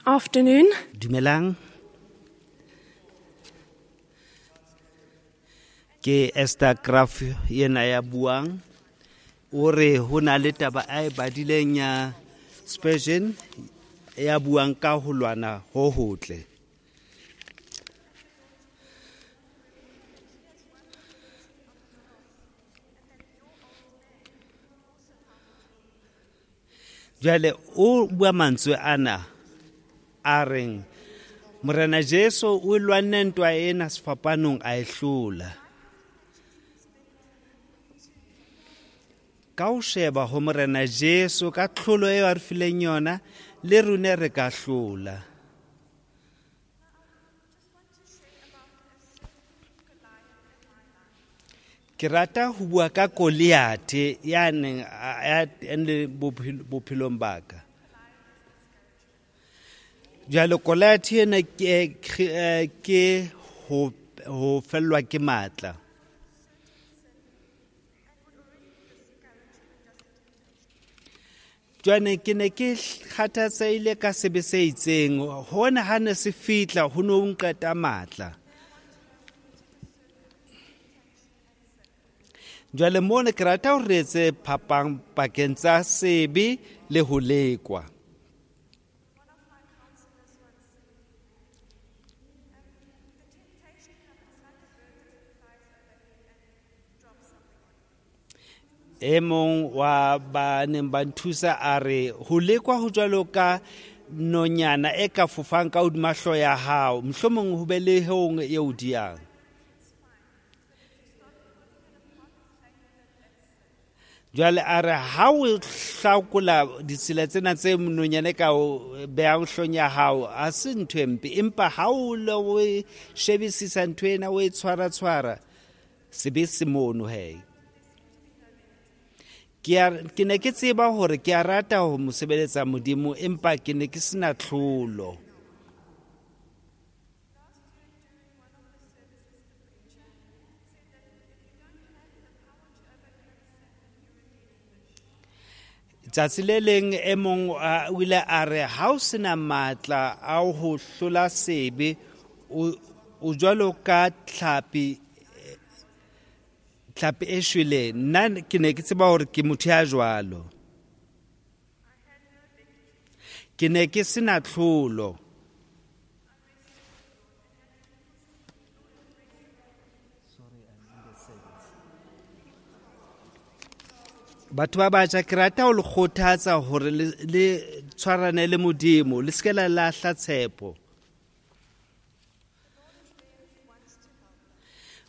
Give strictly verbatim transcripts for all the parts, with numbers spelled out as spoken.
Afternoon. Dumelang. Ke Esther Graf yena ya buang. O re ho na le taba a e badileng ya Spurgeon ya buang ka ho lwana ho hotle. Jwale o bua mantswe ana a reng Morena Jesu o lwanne ntwa ena sefapanong a e hlola. Ka o sheba ho Morena Jesu ka tlholo eo a re fileng yona le rone re ka hlola. Ke rata ho bua ka Goliath ya neng ya le bophelong ba ka. Jwale Goliath ena ke ke ho ho fellwa ke matla. Jwale ke ne ke kgathatsehile ka sebe se itseng, hona ha ne se fihla ho no nqeta matla. Jwale mona ke rata ho re etse phapang pakeng tsa sebe le ho lekwa. E mong wa ba neng ba nthusa a re ho lekwa ho jwalo ka nonyana e ka fofang ka hodima hlooho ya hao, mohlomong ho be le hong e o diang. Jwale a re ha o hlakola ditsela tsena tse nonyana e ka o behang hloohong ya hao, ha se ntho e mpe, empa ha o le o shebisisa ntho ena o e tshwara-tshwara, sebe se mono he. Ke a, ke ne ke tseba hore ke a rata ho mo sebeletsa Modimo, empa ke ne ke sena tlholo. Tsatsi le leng e mong o ile a re ha o sena matla a ho hlola sebe, o, o jwalo ka tlhapi, tlhapi e shweleng. Nna ke ne ke tseba hore ke motho ya jwalo. Ke ne ke sena tlholo. Batho ba batjha, ke rata ho le kgothatsa hore le, le tshwarane le Modimo, le se ke la lahla tshepo.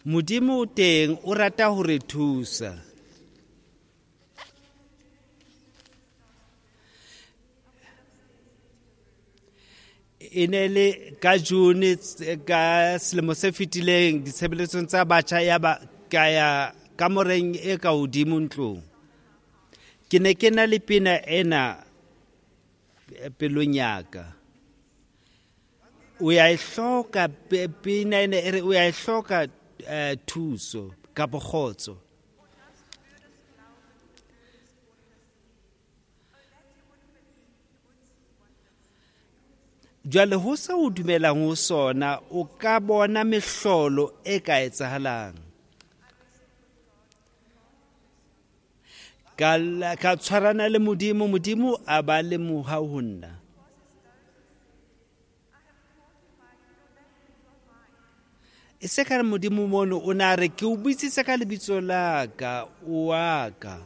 Modimo o teng, o rata ho re thusa. E ne le ka June ka selemo se fetileng ditshebeletsong tsa batjha ya ba ka ya kamoreng e ka hodimo ntlong. Ke ne ke na le pina ena pelong ya ka. O ya e hloka pina ena e re o ya e hloka thuso kapa kgotso. Jwale ho se o dumelang ho sona, o ka bona mehlolo e ka etsahalang. Ka, ka tshwarana le Modimo, Modimo a ba le mohau ho nna. E se ka re Modimo mono o na re ke o bitsitse ka lebitso la ka, o wa ka.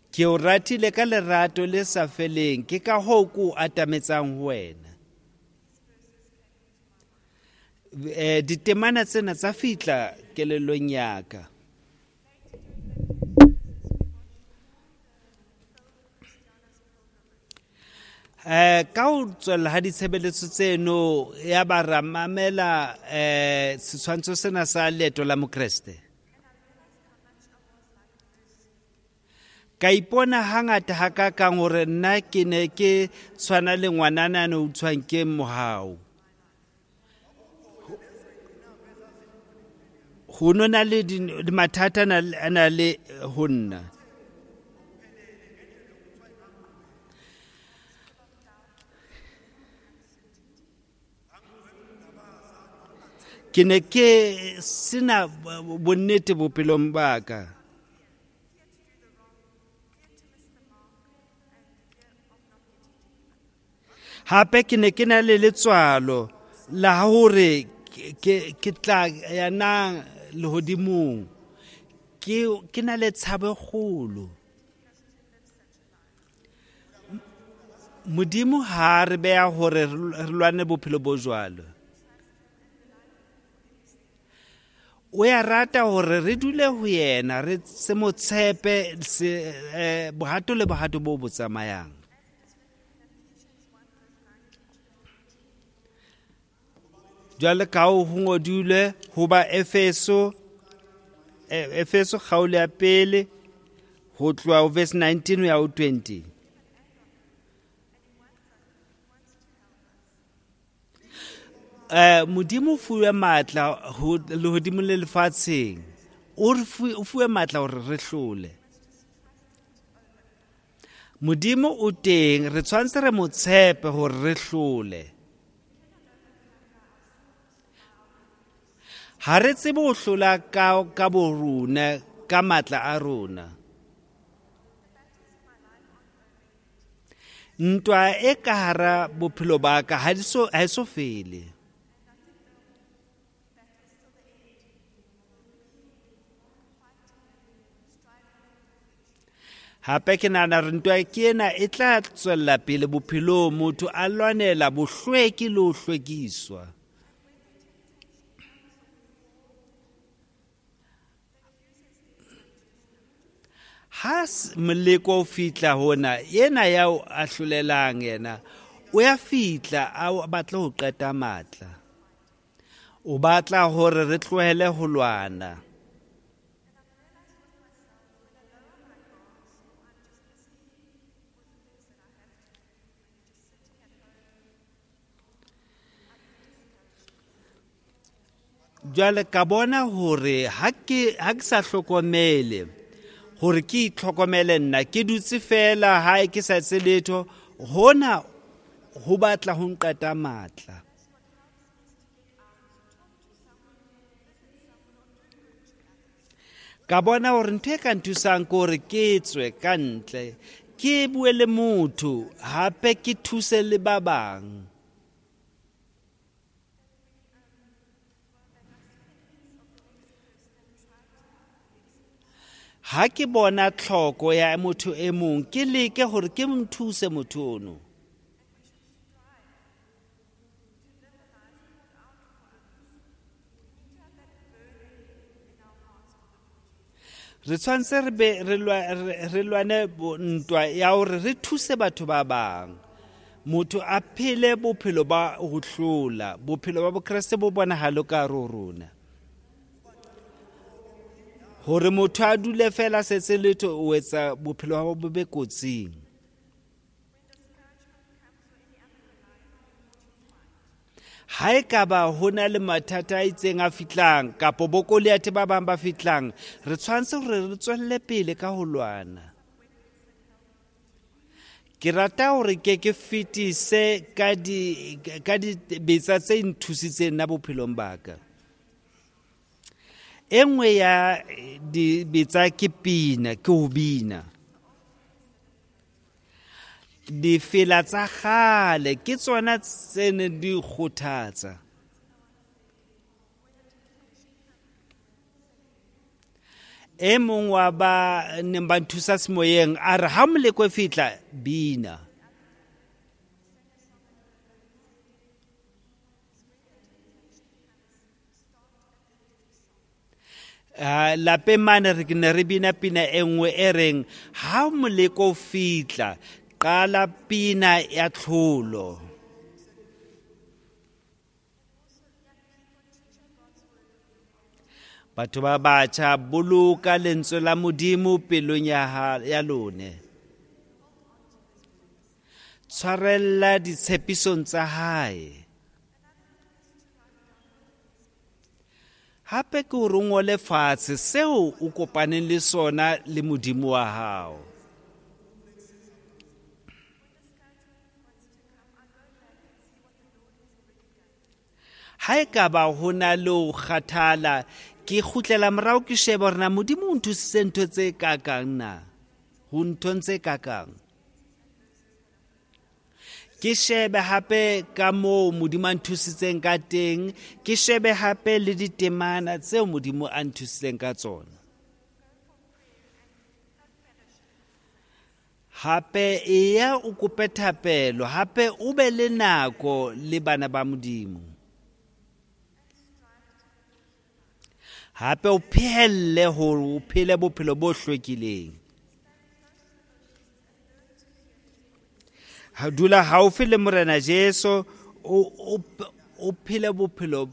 Ke o ratile ka lerato le sa feleng, ke ka hoo ke o atametsang ho wena. Eh, ditemana tsena tsa fihla kelellong ya ka. Eh, ka ho tswella ha ditshebeletso tseno ya ba ra mamela eh, setshwantsho sena sa leeto la Mokreste. Ka ipona hangata hakakang hore nna ke ne ke tshwana le ngwanana a ne o tshwang ke mohau. Ho no na le mathata a na le ho nna. Ke ne ke sena bonnete bophelong ba ka. Hape ke ne ke na le letswalo la hore ke ke tla ya na lehodimong. Ke ke na le tshabo e kgolo. Modimo ha re beha hore re lwane bophelo bo jwalo. O ya rata hore re dule ho yena, re se mo tshepe se eh, bohato le bohato bo bo tsamayang. Jwale ka ho ngodilwe ho ba Efeso, Efeso kgaolo ya pele ho tloha ho verse nineteen ho ya ho twenty. Eh, Modimo o fuwe matla ho lehodimo le lefatsheng. O re o fuwe matla hore re hlole. Modimo o teng, re tshwanetse re mo tshepe hore re hlole. Ha re tsebe ho hlola ka ka borona, ka matla a rona. Ntwa e ka hara bophelo ba ka ha so ha so fele. Hape ke nahana hore ntwa ke ena e tla tswella pele bophelong, motho a lwanela bohlweki le ho hlwekiswa. Ha moleko o fihla hona, yena ya o ahlolelang yena, o ya fihla a batla ho qeta matla. O batla hore re tlohele ho lwana. Jwale ka bona hore ha ke ha ke sa hlokomele hore ke itlhokomele nna, ke dutse fela hae ke sa etse letho, hona ho batla ho nqeta matla. Ka bona hore ntho e ka nthusang ke hore ke tswe ka ntle, ke bue le motho, hape ke thuse le ba bang. Ha ke bona tlhoko ya motho e mong, ke leke hore ke mo thuse motho ono. Re tshwanetse re be re lwane ntwa ya hore re thuse batho ba bang. Motho a phele bophelo ba ho hlola, bophelo ba Bokreste bo bonahale ka hare ho rona. Hore motho a dule fela setse letho, o etsa bophelo ba bo be kotsing. Ha e ka ba ho na le mathata a itseng a fihlang kapa bokoliate ba bang ba fihlang, re tshwanetse hore re tswelle pele ka ho lwana. Ke rata hore ke ke fetise ka di ka dibetsa tse nthusitseng nna bophelong ba ka. E nngwe ya dibetsa ke pina, ke ho bina. Difela tsa kgale ke tsona tse neng di kgothatsa. E mong wa ba neng ba nthusa semoyeng a re ha moleko e fihla, bina. Uh, lapeng mane re ne re bina pina e nngwe e reng ha moleko o fihla, qala pina ya tlholo. Batho ba batjha, boloka lentswe la Modimo pelong ya ya lone. Tshwarella ditshepisong tsa hae. Hape ke hore o ngole fatshe seo o kopaneng le sona le Modimo wa hao. Ha e ka ba ho na le ho kgathala, ke kgutlela morao ke shebe hore na Modimo o nthusitse ntho tse kakang na, ho nthong tse kakang. Ke shebe hape ka moo Modimo a nthusitseng ka teng, ke shebe hape le ditemana tseo Modimo a nthusitseng ka tsona. Hape eya o kope thapelo, hape o be le nako le bana ba Modimo. Hape o phehelle hore o phele bophelo bo hlwekileng. Ha dula haufi le Morena Jesu, o o o phele bophelo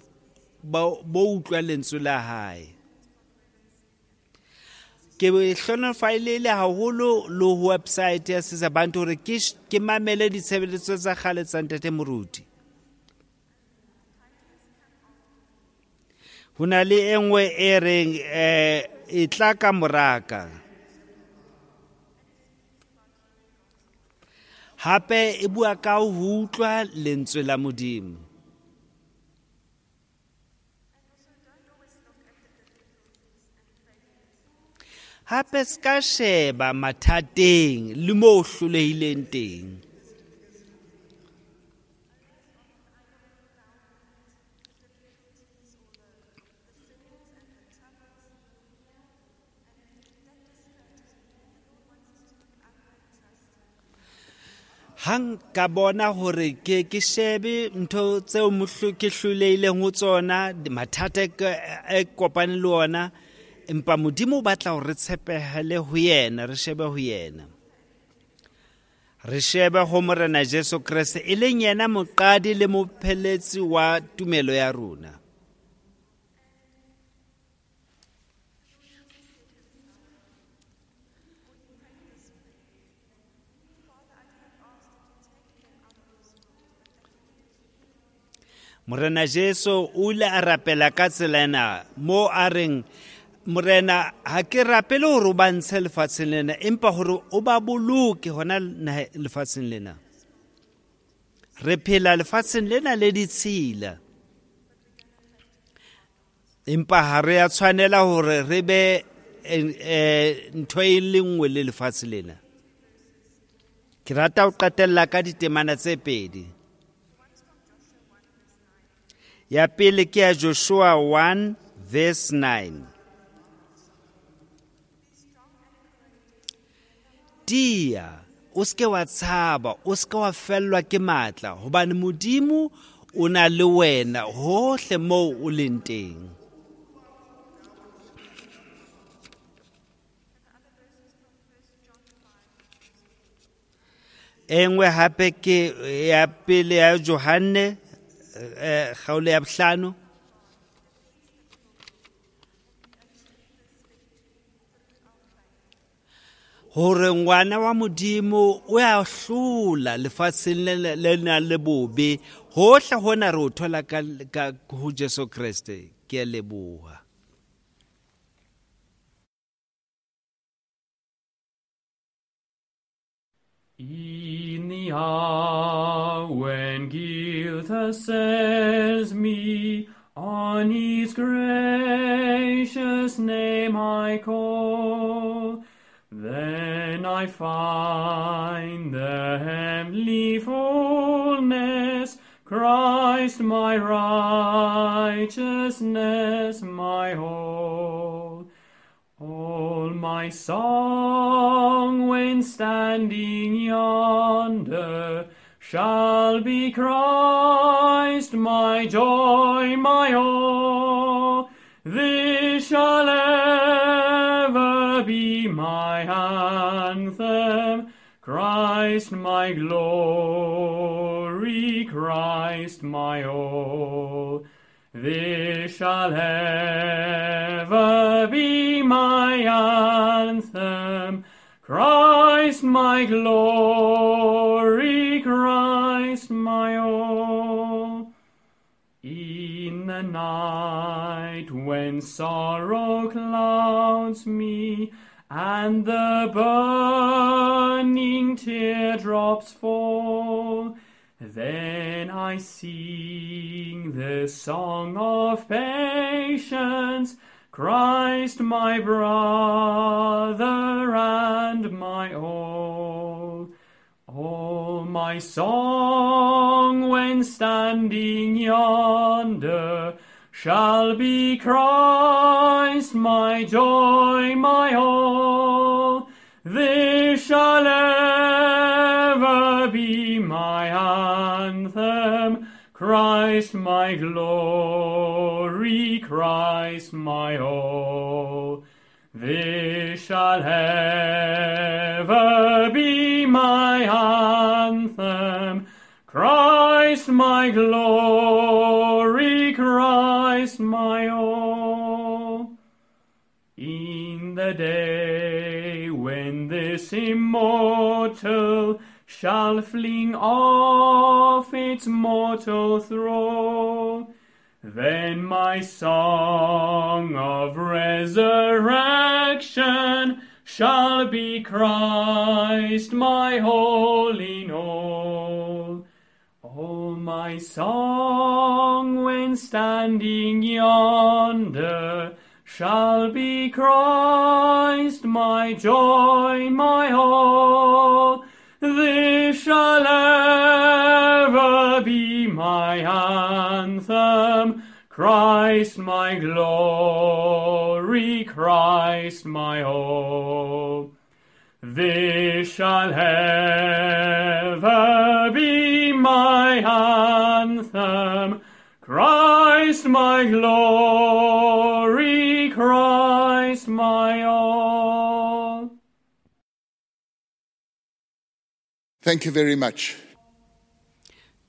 bo bo utlwa lentswe la hae. Ke hlonofaile haholo le ho website ya Sizabantu hore ke ke mamele ditshebeletso tsa kgale tsa Ntate Moruti. Ho na le e nngwe e reng eh e tla ka moraka. Hape e bua ka ho utlwa lentswe la Modimo. Hape ska sheba mathateng le mo hlolehileng teng. Hang ka bona hore ke ke shebe ntho tseo mohlo ke hlolehileng ho tsona, mathata e kopane le ona, empa Modimo o batla hore re tshepehele ho yena, re shebe ho yena. Re shebe ho Morena Jesu Kreste, e leng yena moqadi le mopheletsi wa tumelo ya rona. Morena Jesu o ile a rapela ka tsela ena mo a reng, Morena, ha ke rapele hore o ba ntshe lefatsheng lena, empa hore o ba boloke hona lefatsheng lena. Re phela lefatsheng lena le ditshila, empa ha re a tshwanela hore re be ntho e le nngwe le lefatshe lena. Ke rata ho qetella ka ditemana tse pedi. Ya pele ke ya Joshua one verse nine. Tia, o ske wa tshaba, o ske wa fellwa ke matla, hobane Modimo o na le wena hohle moo o leng teng. E nngwe hape ke ya pele ya Johanne kgaolo ya bohlano. Hore ngwana wa Modimo o ya hlola lefatsheng le le nang le bobe, hohle hona re o thola ka ka ho Jesu Kreste. Ke a leboha. In the hour when guilt assails me, on his gracious name I call. Then I find the heavenly fullness, Christ my righteousness, my all. All my song when standing yonder shall be Christ, my joy, my all. This shall ever be my anthem, Christ my glory, Christ my all. This shall ever be my anthem, Christ my glory, Christ my all. In the night when sorrow clouds me, and the burning teardrops fall, then I sing Sing the song of patience, Christ my brother and my all. All my song when standing yonder shall be Christ my joy, my all. This shall ever be my anthem, Christ my glory, Christ my all. This shall ever be my anthem, Christ my glory, Christ my all. In the day when this immortal shall fling off its mortal thrall, then my song of resurrection shall be Christ my all in all. All my song when standing yonder shall be Christ my joy, my all. This shall ever be my anthem, Christ my glory, Christ my all. This shall ever be my anthem, Christ my glory, Christ my all. Thank you very much.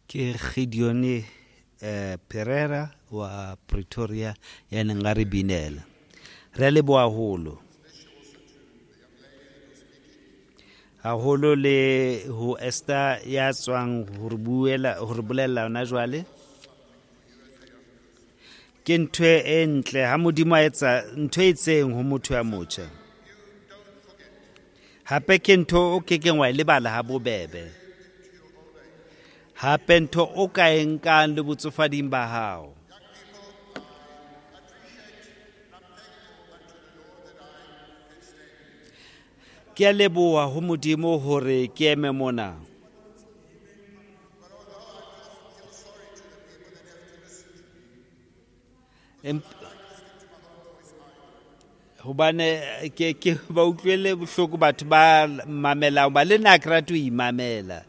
Ke Gideon eh, Pereira wa Pretoria ya neng a re binela. Re a leboha haholo. Haholo le ho Esther ya tswang ho re buela, ho re bolella hona jwale. Ke ntho e ntle ha Modimo a etsa ntho e itseng ho motho ya motjha. Hape ke ntho o kekeng wa e lebala ha bobebe. Hape ntho o ka e nkang le botsofading ba hao. Ke a leboha ho Modimo hore ke eme mona. Hobane ke ke ba utlwele bohloko batho ba mamelang, ba le nna ke rate ho imamela.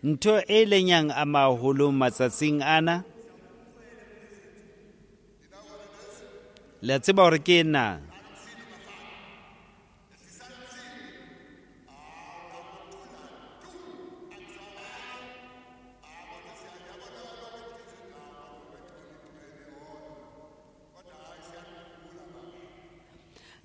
Ntho e leng yang ama haholo matsatsing ana, le a tseba hore ke ena.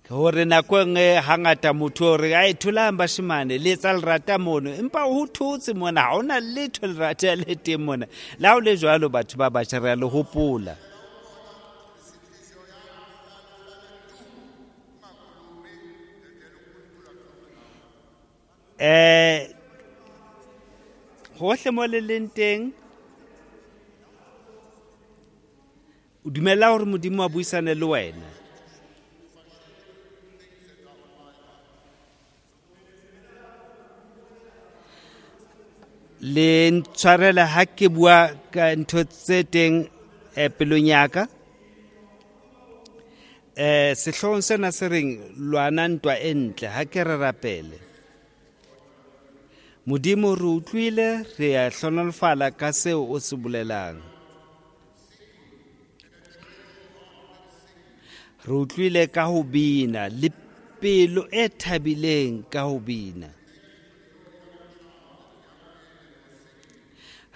Hore nako e nngwe hangata motho o re, ai tholang bashemane, le etsa lerata mono, empa ho thotse mona, ha hona letho lerata le teng mona. Le ha ho le jwalo batho ba batjha re a le hopola. Eh, hohle mo le leng teng, o dumella hore Modimo a buisane le wena. Le ntshwarele ha ke bua ka ntho tse teng eh, pelong ya ka. Eh, sehloohong sena se reng lwana ntwa e ntle, ha ke re rapele. Modimo re utlwile, re a hlohonolofala ka seo o se bolelang. Re utlwile ka ho bina le pelo e thabileng ka ho bina.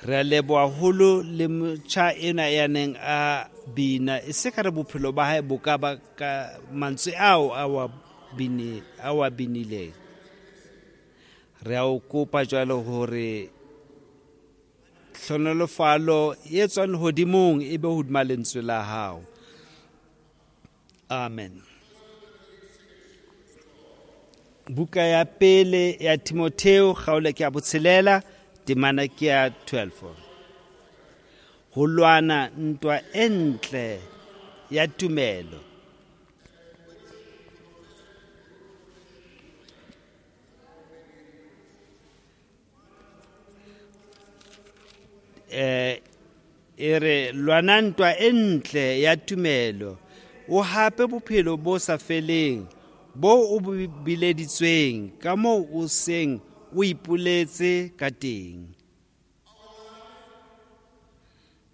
Re a leboha haholo le motjha ena ya neng a bina, e se ka re bophelo ba hae bo ka ba ka mantswe ao a wa bini, a wa binileng. Re a o kopa jwalo hore hlohonolofalo e tswang lehodimong e be hodima lentswe la hao. Amen. Buka ya pele ya Timotheo kgaolo ke ya botshelela temana ke ya twelve. Ho lwana ntwa e ntle ya tumelo. Eh e re lwana ntwa e ntle ya tumelo, o hape bophelo bo sa feleng bo o bileditsweng ka moo o seng o ipoletse ka teng.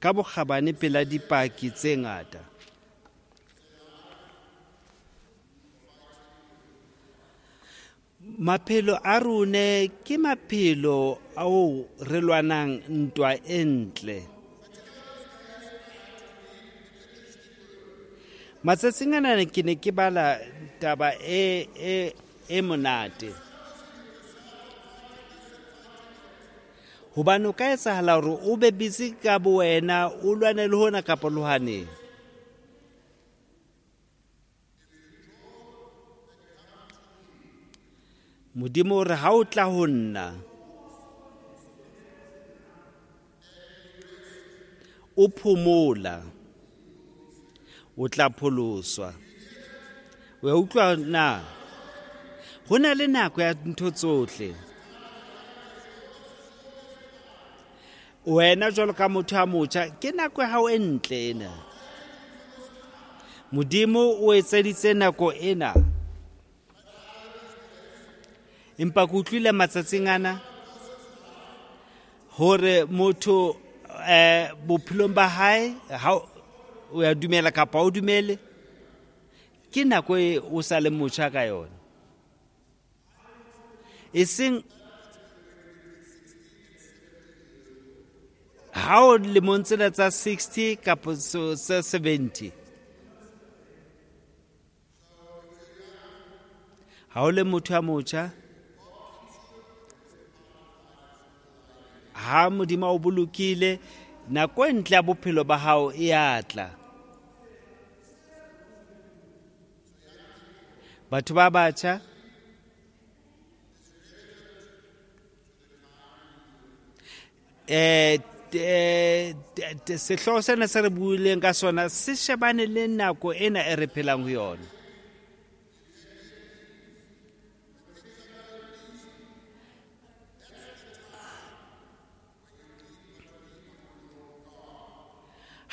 Ka bokgabane pela dipaki tse ngata. Maphelo a rone ke maphelo ao re lwanang ntwa e ntle. Matsatsing ana ke ne ke bala taba e e e monate. Hobane o ka etsahala hore o be busy ka bowena, o lwane le hona kapa le hwane. Modimo o re ha o tla ho nna, o phomola, o tla pholoswa. O ya utlwa na? Ho na le nako ya ntho tsohle. Wena jwalo ka motho a motjha, ke nako ya hao e ntle ena. Modimo o etseditse nako ena. Empa ke utlwile matsatsing ana hore motho eh bophelong ba hae ha o ya dumela kapa o dumele, ke nako e o sa le motjha ka yona. E seng ha o lemong tsena tsa sixty kapa tsa seventy. Ha o le motho ya motjha, ha Modimo o bolokile, nako e ntle ya bophelo ba hao e a tla. Batho ba batjha eh sehlooho sena se re buileng ka sona se shebane le nako ena e re phelang ho yona.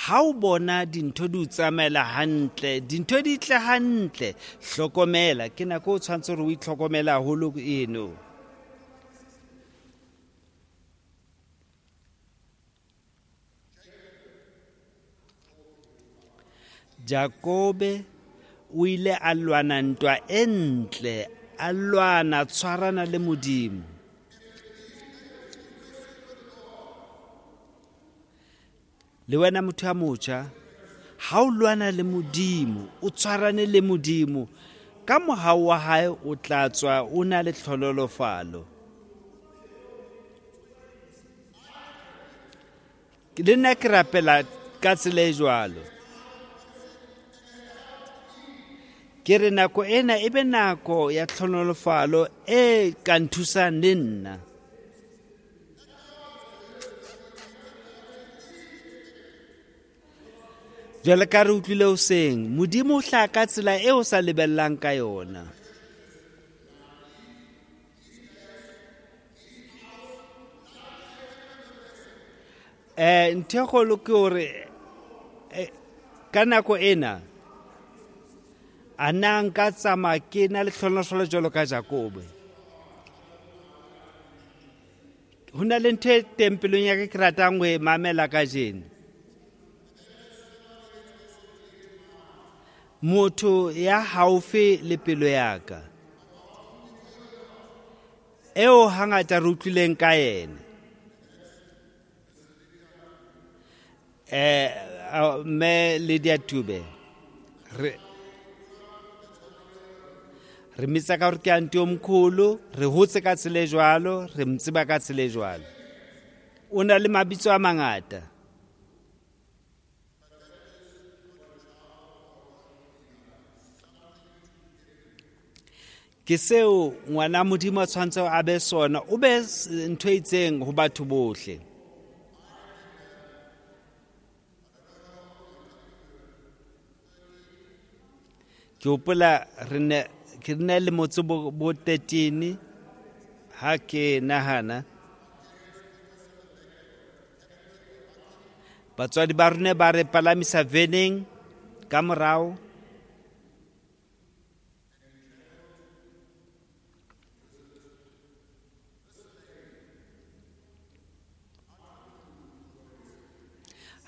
Ha o bona dintho di o tsamaela hantle, dintho di tle hantle, hlokomela, ke nako o tshwanetse hore o itlhokomele haholo eno. Jakobe o ile a lwana ntwa e ntle, a lwana tshwarana le Modimo. Le wena motho ya motjha, ha o lwana le Modimo, o tshwarane le Modimo, ka mohau wa hae o tla tswa o na le tlhonolofalo. Le nna ke rapela ka tsela e jwalo. Ke re nako ena e be nako ya tlhonolofalo e ka nthusang le nna. Jwale ka re utlwile hoseng, Modimo o hlaha ka tsela eo o sa lebellang ka yona. Eh ntho e kgolo ke hore ka nako ena a na nka tsamaya ke na le tlhonolofalo jwalo ka Jakobe. Ho na le ntho e teng pelong ya ka ke ratang ho e mamela kajeno. Motho ya haufi le pelo ya ka, eo hangata re utlwileng ka yena. Eh mme Lydia Tube, re re mitsa ka hore ke anti o mkhulu, re hotse ka tsela e jwalo, re mo tseba ka tsela e jwalo. O na le mabitso a mangata. Ke seo ngwana Modimo a tshwanetse a be sona, o be ntho e itseng ho batho bohle. Ke hopola re ne ke ne le motse bo, bo thirteen ha ke nahana. Batswadi ba rona ba re palamisa veneng ka morao.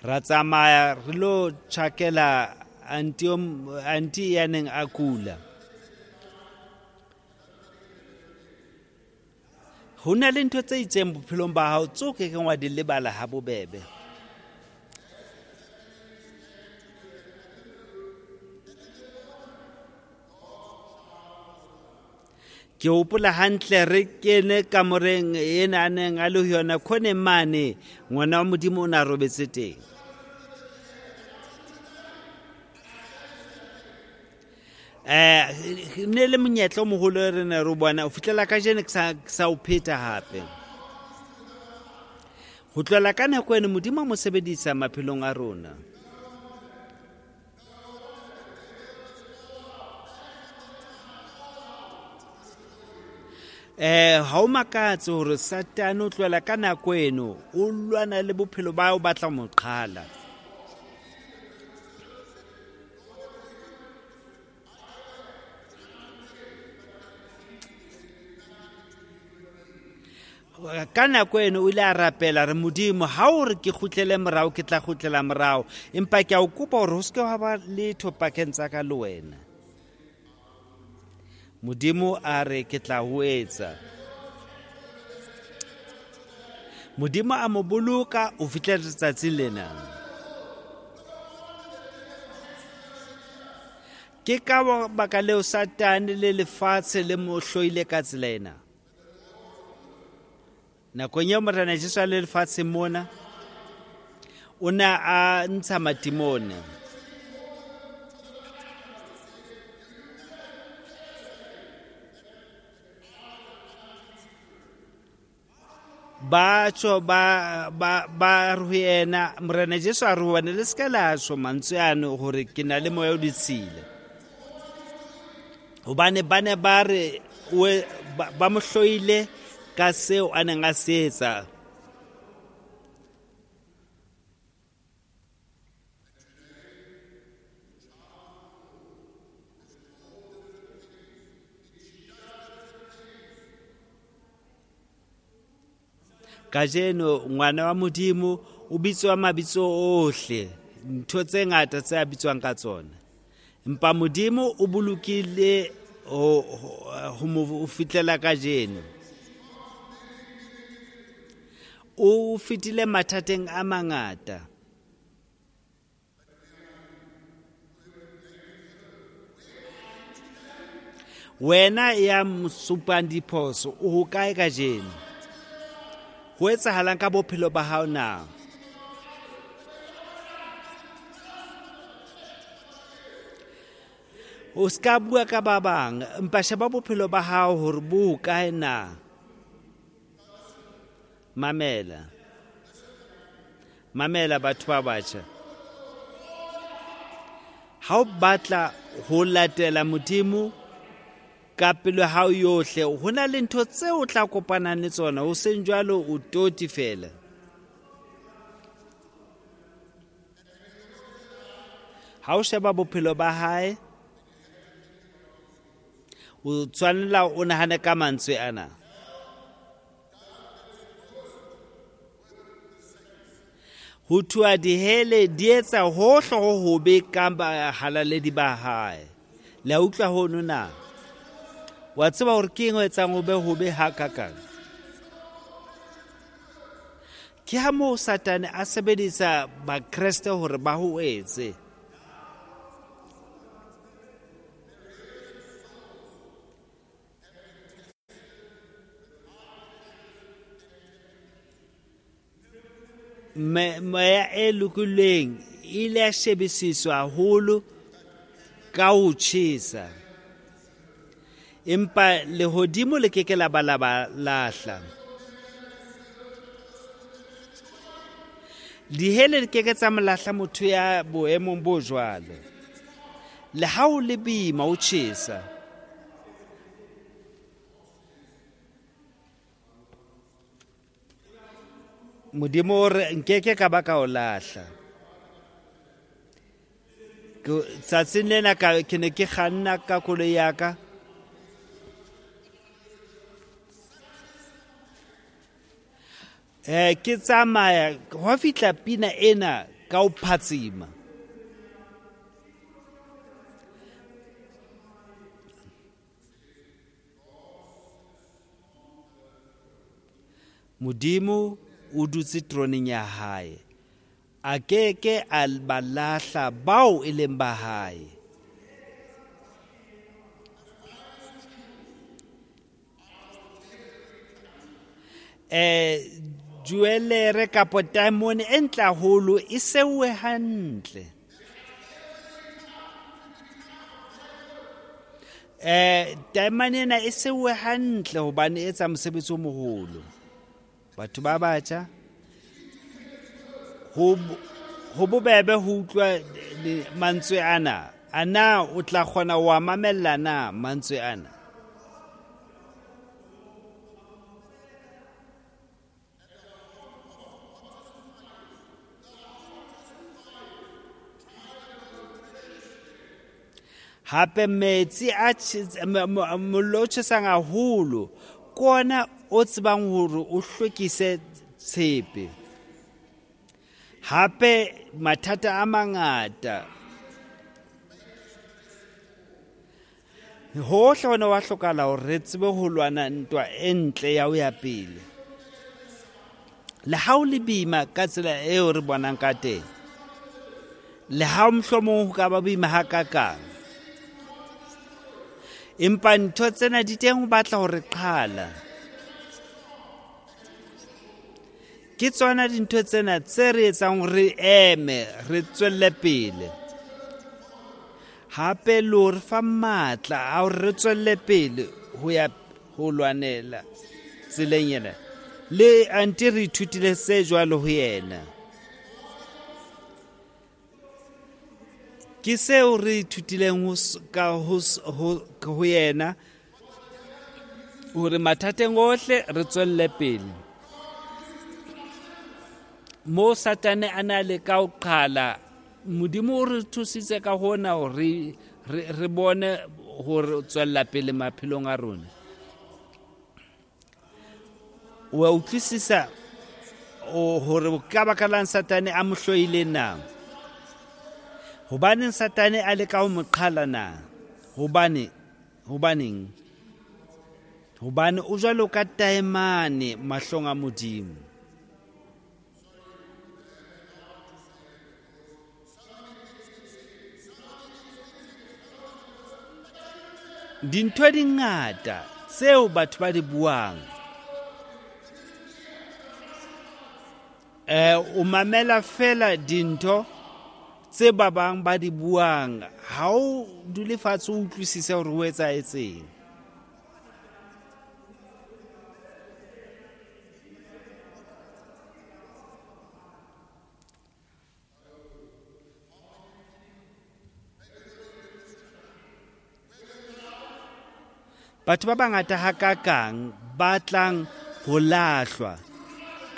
Ra tsamaya re lo tjhakela anti anti ya neng a kula. Ho na le ntho tse itseng bophelong ba hao tseo ke keng wa di lebala ha bobebe. Ke hopola hantle re kene kamoreng ena a neng a le ho yona khoneng mane, ngwana wa Modimo o na robetse teng. Eh ne le monyetla o moholo re ne re bona o fihlela kajeno ke sa ke sa o pheta hape. Ho tlohela ka nako eno Modimo a mo sebedisa maphelong a rona. Eh ha o makatse hore Satane o tlohela ka nako eno o lwana le bophelo ba o batla mo qhala. Ka nako eno o ile a rapela re Modimo ha o re ke kgutlele morao ke tla kgutlela morao, empa ke a o kopa hore ho se ke ha ba letho pakeng tsa ka le wena. Modimo a re ke tla ho etsa. Modimo a mo boloka ho fihlela letsatsing lena. Ke ka baka leo Satane le lefatshe le mo hloile ka tsela ena. Nakong eo Morena Jesu a le lefatsheng mona, o ne a ntsha matimone. Ba tsho ba ba ba re ho yena, Morena Jesu a re ho bona, le se ka la tjho mantswe ano hore ke na le moya o ditshila. Hobane ba ne ba re ba mo hloile ka seo a neng a se etsa. Kajeno ngwana wa Modimo o bitswa mabitso ohle, ntho tse ngata tse a bitswang ka tsona. Empa Modimo o bolokile ho ho mo fihlela kajeno. O fetile mathateng a mangata. Wena ya mosupang diphoso o hokae kajeno? Ho etsahalang ka bophelo ba hao na? O ska bua ka ba bang, empa sheba bophelo ba hao hore bo hokae na? Mamela. Mamela batho ba batjha. Ha o batla ho latela Modimo ka pelo ya hao yohle, ho na le ntho tseo o tla kopanang le tsona, ho seng jwalo o toti fela. Ha o sheba bophelo ba hae, o tshwanela o nahane ka mantswe ana. Ho thua dihele di etsa hohle ho hobe ka bahalaledi ba hae. Le a utlwa hono na? Wa tseba hore ke eng o etsang ho be hobe hakakang? Ke ha moo Satane a sebedisa Bakreste hore ba ho etse. Moya e lokileng e ile ya shebisiswa haholo ka ho tjhesa. Empa lehodimo le ke ke la ba la ba lahla. Dihele di ke ke tsa mo lahla motho ya boemong bo jwalo. Le ha o le boima o tjhesa. Modimo o re nkeke ka ba ka o lahla. Tsatsing lena ka ke ne ke kganna ka koloi ya ka. Eh ke tsamaya ho fihla pina ena ka o phatsima. Modimo o dutse troneng ya hae. A ke ke a ba lahla bao e leng ba hae. Eh jewelere kapa diamond e ntle haholo e seuwe hantle. Eh diamond ena e seuwe hantle hobane e etsa mosebetsi o moholo. Batho ba batjha ho ho bobebe ho utlwa mantswe ana. Ana o tla kgona wa mamella na mantswe ana? Hape metsi a mollo o tjhesang haholo ke ona o tsebang hore o hlwekise tshepe. Hape mathata a mangata hohle hona wa hlokahala hore re tsebe ho lwana ntwa e ntle ya ho ya pele. Le ha o le boima ka tsela eo re bonang ka teng, le ha mohlomong ho ka ba boima hakakang, empa ntho tsena di teng ho batla hore qhala. Ke tsona dintho tsena tse re etsang re eme, re tswelle pele. Hape le hore fa matla a hore re tswelle pele ho ya ho lwanela tseleng ena. Le anti re ithutile se jwalo ho yena. Ke seo re ithutileng ho ka ho ho yena hore mathateng ohle re tswelle pele. Mo Satane a na le ka o qhala, Modimo o re thusitse ka hona hore re re bone hore tswella pele maphelong a rona. Wa utlwisisa hore ka baka lang Satane a mo hloile na? Hobaneng Satane a leka ho mo qhala na? Hobane hobaneng? Hobane o jwalo ka taemane mahlong a Modimo. Dintho di ngata tseo batho ba di buang. Eh o mamela fela dintho tse ba bang ba di buang, ha o dule fatshe o utlwisise hore ho etsahetseng. Batho ba bangata hakakang ba tlang ho lahlwa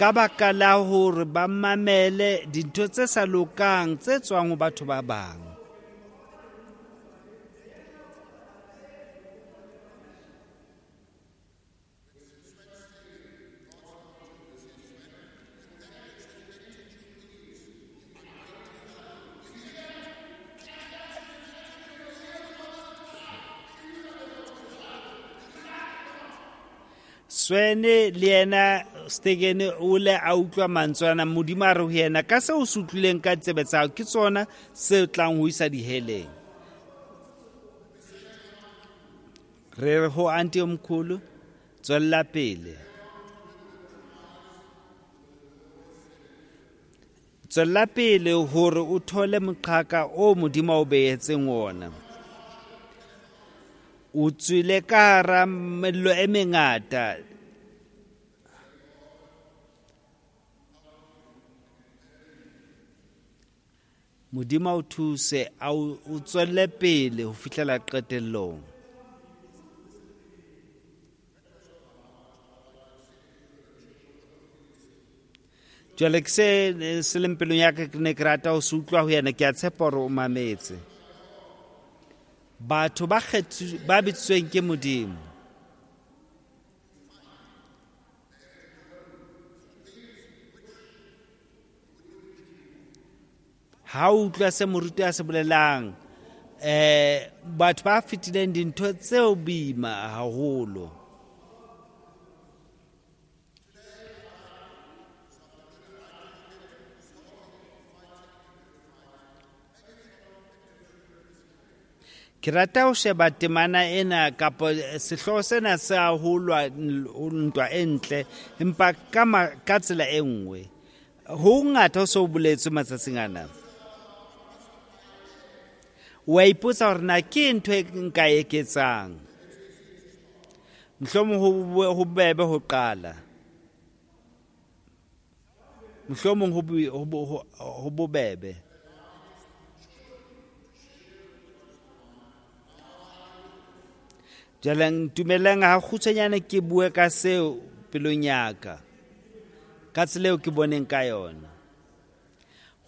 ka baka la hore ba mamele dintho tse sa lokang tse tswang ho batho ba bang. Swene le yena Stegene o le a utlwa mantswe ana, Modimo a re ho yena ka seo o se utlwileng ka tsebe tsa hao ke tsona se tlang ho isa diheleng. Re re ho anti omkhulu tswella pele. Tswella pele hore o thole moqhaka o Modimo o behetseng wona. O tswile ka hara mello e mengata. Modimo o thuse a o tswelle pele ho fihlela qetellong. Jwale ke se se leng pelong ya ka, ke ne ke rata ho se utlwa ho yena, ke a tshepa hore o mametse. Batho ba kgethu ba bitsweng ke Modimo. Ha o utlwa se moruti a se bolelang, eh batho ba fetileng dintho tseo boima haholo. Ke rata ho sheba temana ena kapa sehlooho sena sa ho lwa ntwa e ntle, empa ka ka tsela e nngwe. Ho ngata ho so boletswe matsatsing ana. Wa ipotsa hore na ke ntho e nka e eketsang. Mohlomong ho bebe ho qala. Mohlomong ho bobebe. Jwale ntumellang ha kgutshwanyane ke bue ka seo pelong ya ka, ka tsela eo ke boneng ka yona.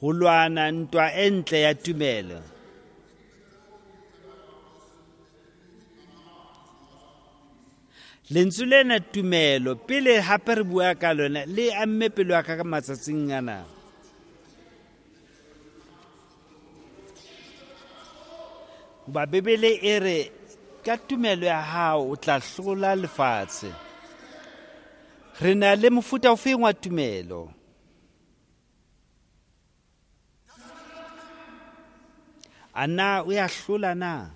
Ho lwana ntwa e ntle ya tumelo. Lentswe lena tumelo, pele hape re bua ka lona, le amme pelo ya ka ka matsatsing ana. Hoba Bibele e re ka tumelo ya hao o tla hlola lefatshe. Re na le mofuta ofeng wa tumelo? A na o ya hlola na?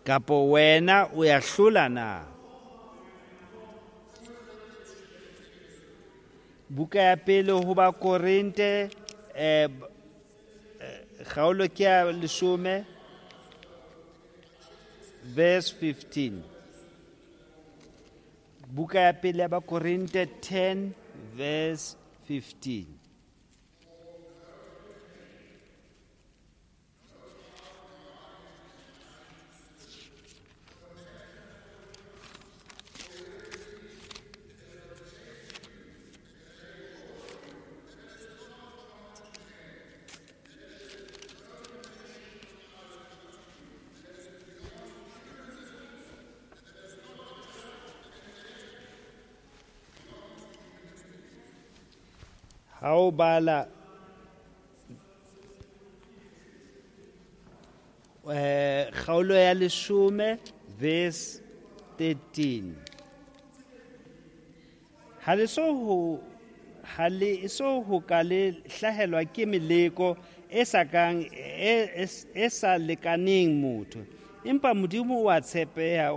Kapo wena o ya hlola na? Buka ya pele ho Bakorinte, eh kgaolo ke ya leshome, verse fifteen. Buka ya pele ya Bakorinte ten verse fifteen. Ha o bala eh kgaolo ya leshome verse thirteen. Ha le so ho ha le so ho ka le hlahelwa ke meleko e sa kang e e sa lekaneng motho, empa Modimo wa tshepeha,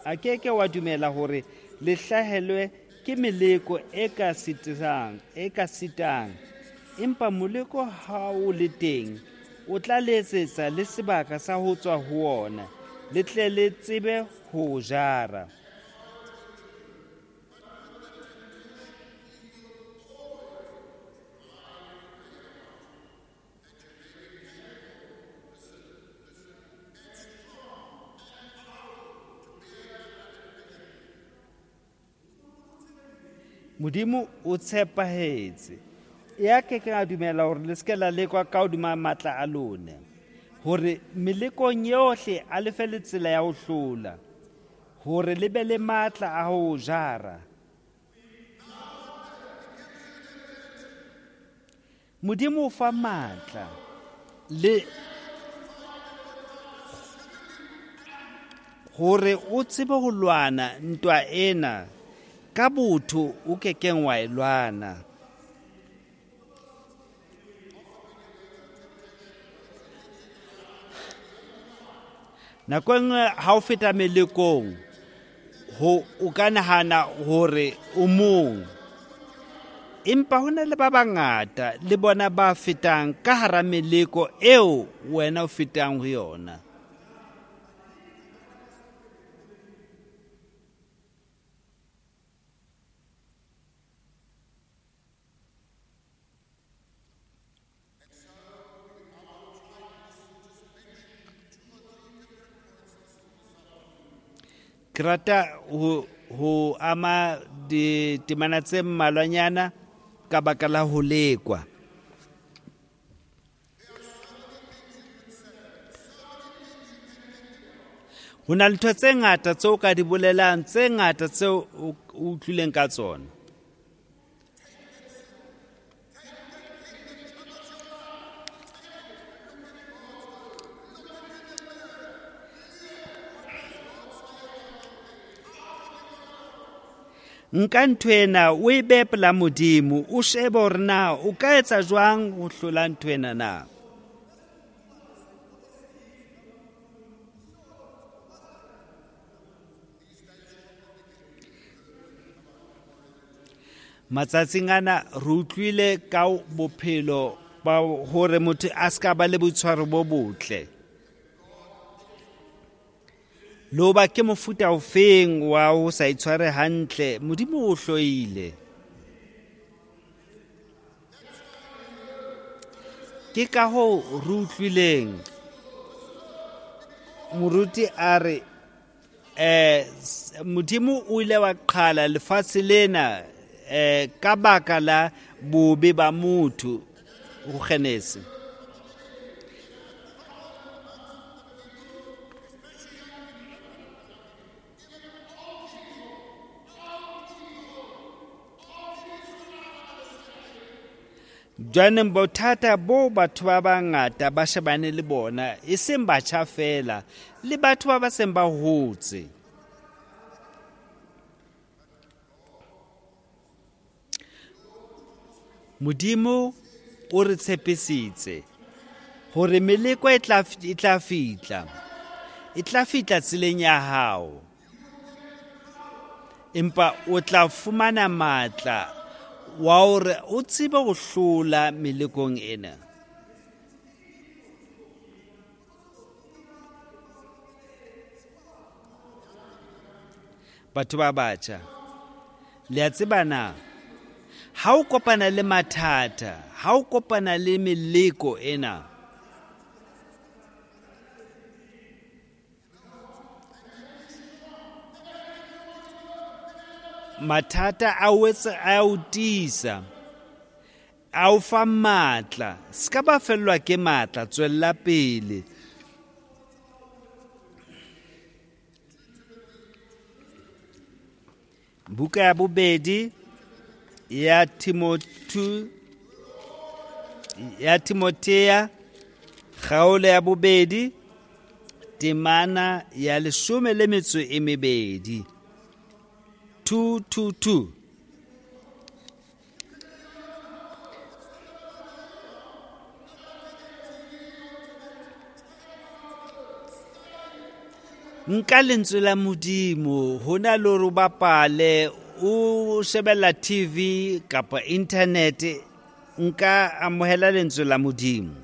a ke ke wa dumela hore le hlahelwe ke meleko e ka sitang, e ka sitang. Empa moleko ha o le teng, o tla letsetsa le sebaka sa ho tswa ho ona, le tle le tsebe ho jara. Modimo o tshepahetse. Ya ke ke a dumela hore le se ke la lekwa ka hodima matla a lona, hore melekong yohle a le fe le tsela ya ho hlola, hore le be le matla a ho jara. Modimo o fa matla le hore o tsebe ho lwana ntwa ena ka botho o kekeng wa e lwana. Nako e nngwe ha o feta melekong, ho o ka nahana hore o mong, empa ho na le ba bangata le bona ba fetang ka hara meleko eo wena o fetang ho yona. Ke rata ho ho ama ditemana tse mmalwanyana ka baka la ho lekwa. Ho na le ntho tse ngata tseo ka di bolelang, tse ngata tseo o utlwileng ka tsona. Nka ntho ena o e behe pela Modimo, o shebe hore na o ka etsa jwang ho hlola ntho ena na. Matsatsing ana re utlwile ka bophelo ba hore motho a ska ba le boitshwaro bo botle. Le hoba ke mofuta ofeng wa ho sa itshware hantle, Modimo o hloile. Ke ka hoo re utlwileng moruti a re eh Modimo o ile wa qhala lefatshe lena eh ka baka la bobe ba motho ho Genese. Jwaneng bothata bo batho ba bangata ba shebane le bona, e seng batjha fela, le batho ba ba seng ba hotse. Modimo o re tshepisitse hore meleko e tla e tla fihla, e tla fihla tseleng ya hao, empa o tla fumana matla wa hore o tsebe ho hlola melekong ena. Batho ba batjha, le a tseba na ha o kopana le mathata, ha o kopana le meleko ena, mathata a o etsa a o tiisa, a o fa matla. Se ka ba fellwa ke matla, tswella pele. Buka ya bobedi ya Timothy ya Timothea kgaolo ya bobedi temana ya leshome le metso e mebedi. Two two two. Nka lentswe la Modimo hona le hore o bapale, o shebella T V kapa internet, nka amohela lentswe la Modimo.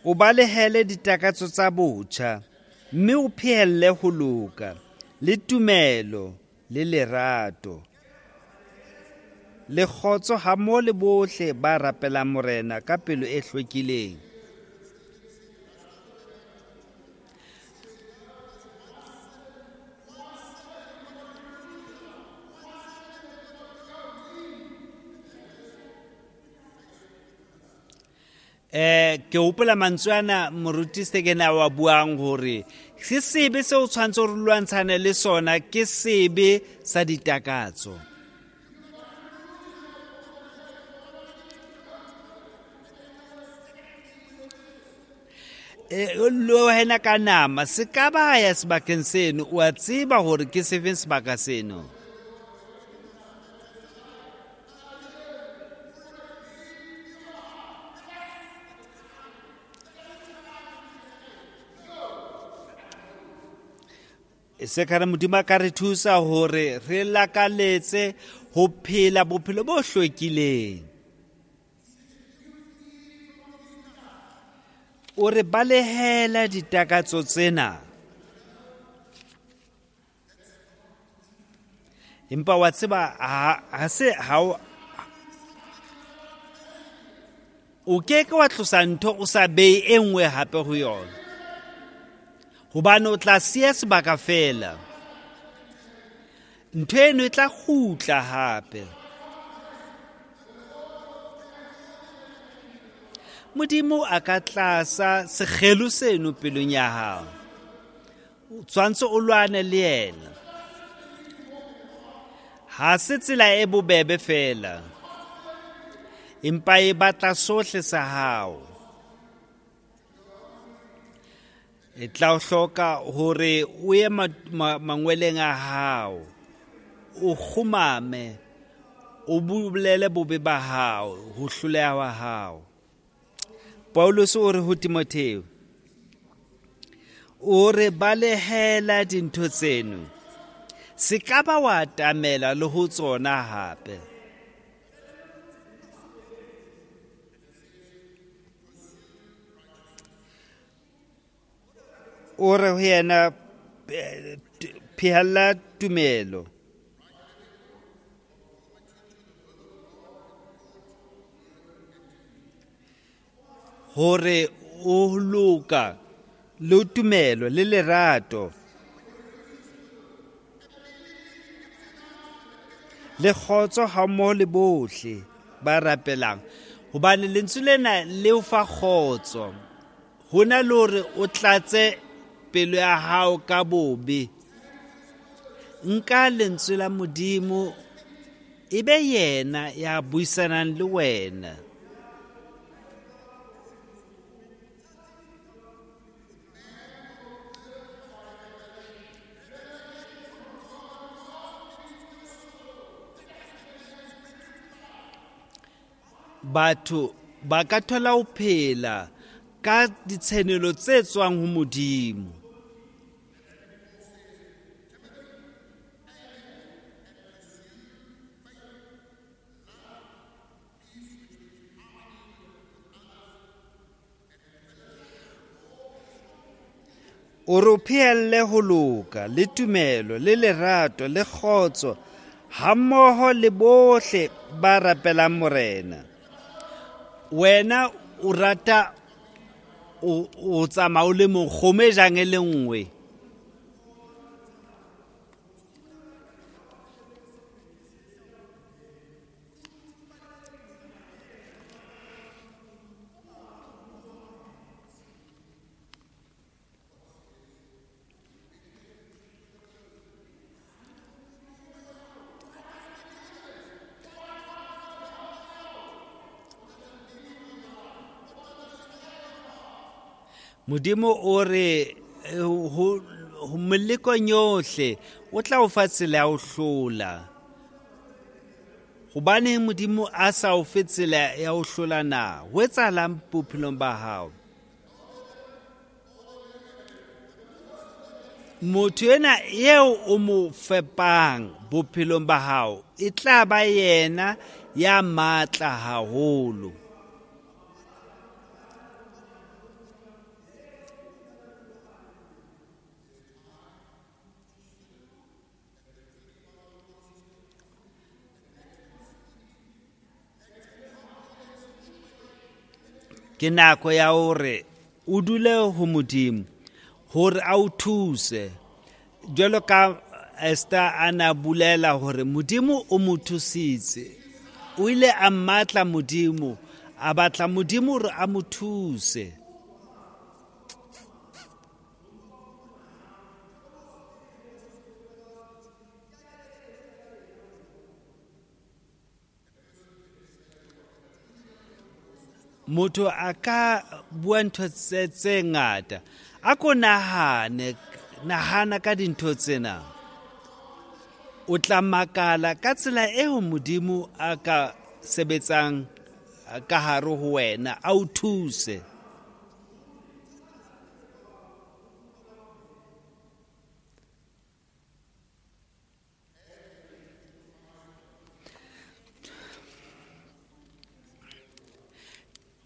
O balehele ditakatso tsa botjha, mme o phehelle ho loka, le tumelo, le lerato, le kgotso hammoho le bohle ba rapelang Morena ka pelo e hlwekileng. Eh ke hopola mantswe ana moruti Sekena wa buang hore se sebe seo tshwantse re lwantshane le sona ke sebe sa ditakatso. Eh lo wena ka nama se ka ba ya sebakeng seno, o a tseba hore ke sefeng sebaka seno. Se ka re Modimo a ka re thusa hore re lakaletse ho phela bophelo bo hlwekileng. O re balehela ditakatso tsena. Empa wa tseba ha se ha o ke ke wa tlosa ntho o sa behe e nngwe hape ho yona. Hobane o tla siya sebaka feela. Ntho eno e tla kgutla hape. Modimo a ka tlasa sekgelo seno pelong ya hao. O tshwantse o lwane le yena. Ha se tsela e bobebe feela, empa e batla sohle sa hao. E tla o hloka hore o ye mangweleng a hao, o kgumame, o bolele bobe ba hao, ho hloleha ha hao. Paulus o re ho Timotheo, o re balehela dintho tseno, se ka ba wa atamela le ho tsona hape. O re ho yena, phehella tumelo. Hore o loka le tumelo le lerato le kgotso hammoho le bohle ba rapelang. Hobane lentswe lena le o fa kgotso, ho na le hore o tlatse pelo ya hao ka bobe. Nka lentswe la Modimo e be yena ya buisanang le wena. Batho ba ka thola ho phela ka ditshenolo tse tswang ho Modimo. O re o phehelle ho loka le tumelo le lerato le kgotso hammoho le bohle ba rapelang Morena. Wena o rata o tsamaya o le mong, kgomo e jang e le nngwe. Modimo o re ho melekong yohle o tla o fa tsela ya ho hlola. Hobaneng Modimo a sa o fe tsela ya ho hlola na? Ho etsahalang bophelong ba hao? Motho ena eo o mo fepang bophelong ba hao e tla ba yena ya matla haholo. Ke nako ya hore o dule ho Modimo hore a o thuse. Jwalo ka Esther a na bolela hore Modimo o mo thusitse, o ile a mmatla Modimo, a batla Modimo hore a mo thuse. Motho a ka bua ntho tse tse ngata. A ko nahane, nahana ka dintho tsena. O tla makala ka tsela eo Modimo a ka sebetsang ka hare ho wena, a o thuse.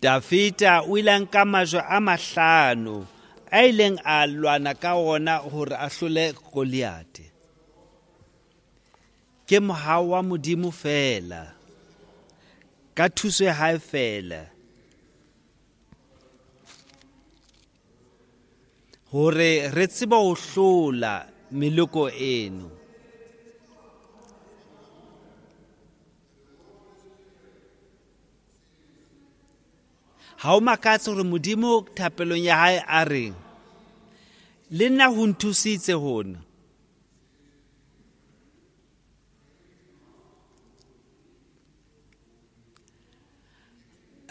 Dafita o ile a nka majwe a mahlano a ileng a lwana ka ona hore a hlole Goliath. Ke mohau wa Modimo feela, ka thuso ya hae feela, Hore re tsebe ho hlola meloko eno. Ha o makatse hore Modimo thapelong ya hae a re, le nna ho nthusitse hona.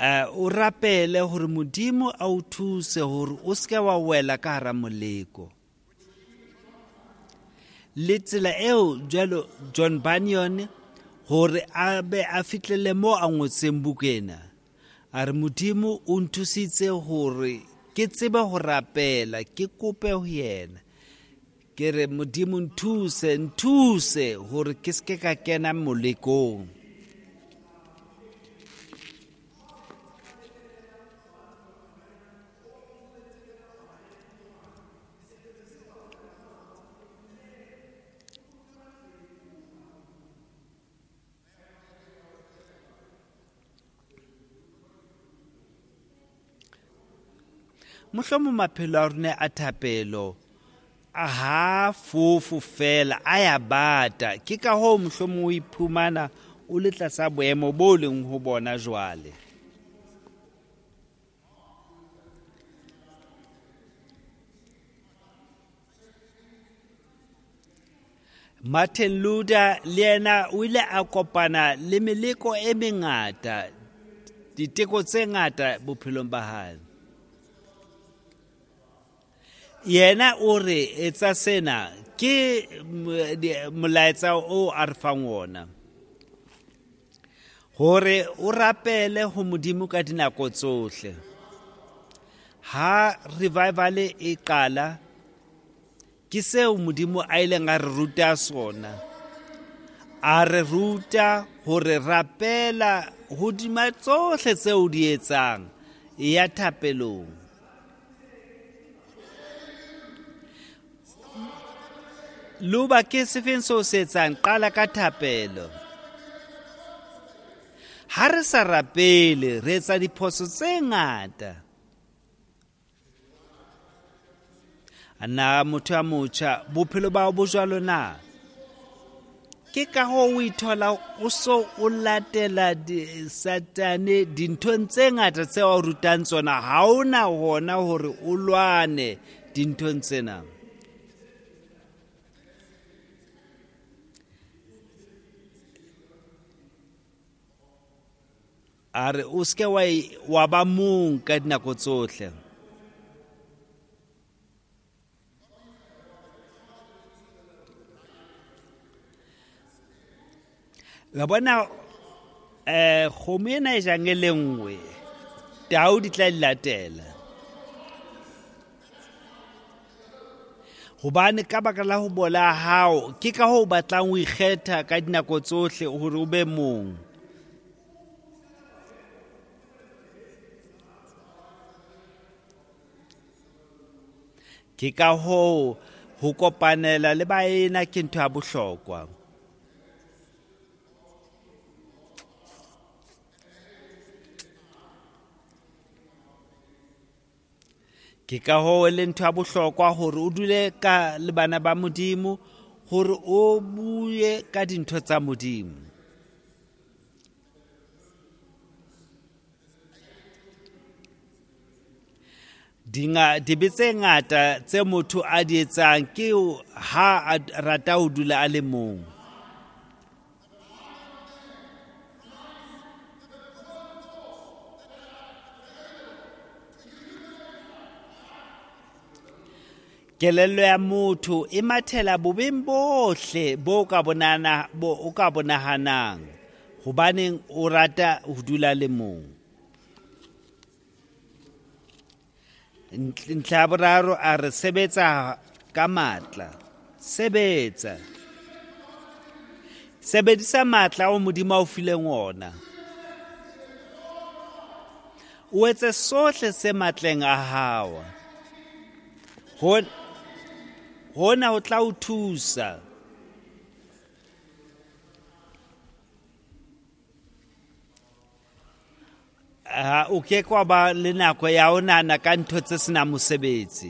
Uh, o rapele hore Modimo a o thuse hore o seke wa wela ka hara moleko. Le tsela eo jwalo John Bunyan hore a be a fihlele mo a ngotseng buka ena. A re Modimo o nthusitse hore ke tsebe ho rapela, ke kope ho yena. Ke re Modimo nthuse, nthuse hore ke seke ka kena molekong. Mohlomong maphelo a rona a thapelo a ha fofo fela a ya bata. Ke ka hoo mohlomong o iphumana o le tlasa boemo bo leng ho bona jwale. Martin Luther le yena o ile a kopana le meleko e mengata, diteko tse ngata bophelong ba hae. Yena o re etsa sena ke molaetsa o a re fang wona. Hore o rapele ho Modimo ka dinako tsohle. Ha revival e qala, ke seo Modimo a ileng a re ruta sona. A re ruta hore rapela hodima tsohle tseo di etsang, e ya thapelong. Luba ke sefeng seo se etsang, qala ka thapelo. Ha re sa rapele, re etsa diphoso tse ngata. Na motho ya motjha, bophelo ba hao bo jwalo na? Ke ka hoo o ithola o so o latela Satane dinthong tse ngata tseo a o rutang tsona. Ha ona hona hore o lwane dinthong tsena. A re o seke wa wa ba mong ka dinako tsohle. La bona eh kgomo ena e jang e le nngwe, tau di tla di latela. Hobane ka baka la ho bola hao, ke ka hoo o batlang ho ikgetha ka dinako tsohle hore o be mong. Ke ka hoo ho kopanela le baena ke ntho ya bohlokwa. Ke ka hoo e le ntho ya bohlokwa hore o dule ka le bana ba Modimo, hore o bue ka dintho tsa Modimo. Dinga dibe tse ngata tse motho a di etsang ke ha a rata ho dula a le mong. Kelello ya motho e mathela bobeng bohle bo ka bonana bo o ka bonahanang, hobaneng o rata ho dula le mong. Ntlha ya boraro a re sebetsa ka matla. Sebetsa. Sebedisa matla ao Modimo a o fileng ona. O etse sohle se matleng a hao. Hona ho tla o thusa. Ha o ke kwa ba le nako ya ho nahana ka ntho tse senang mosebetsi.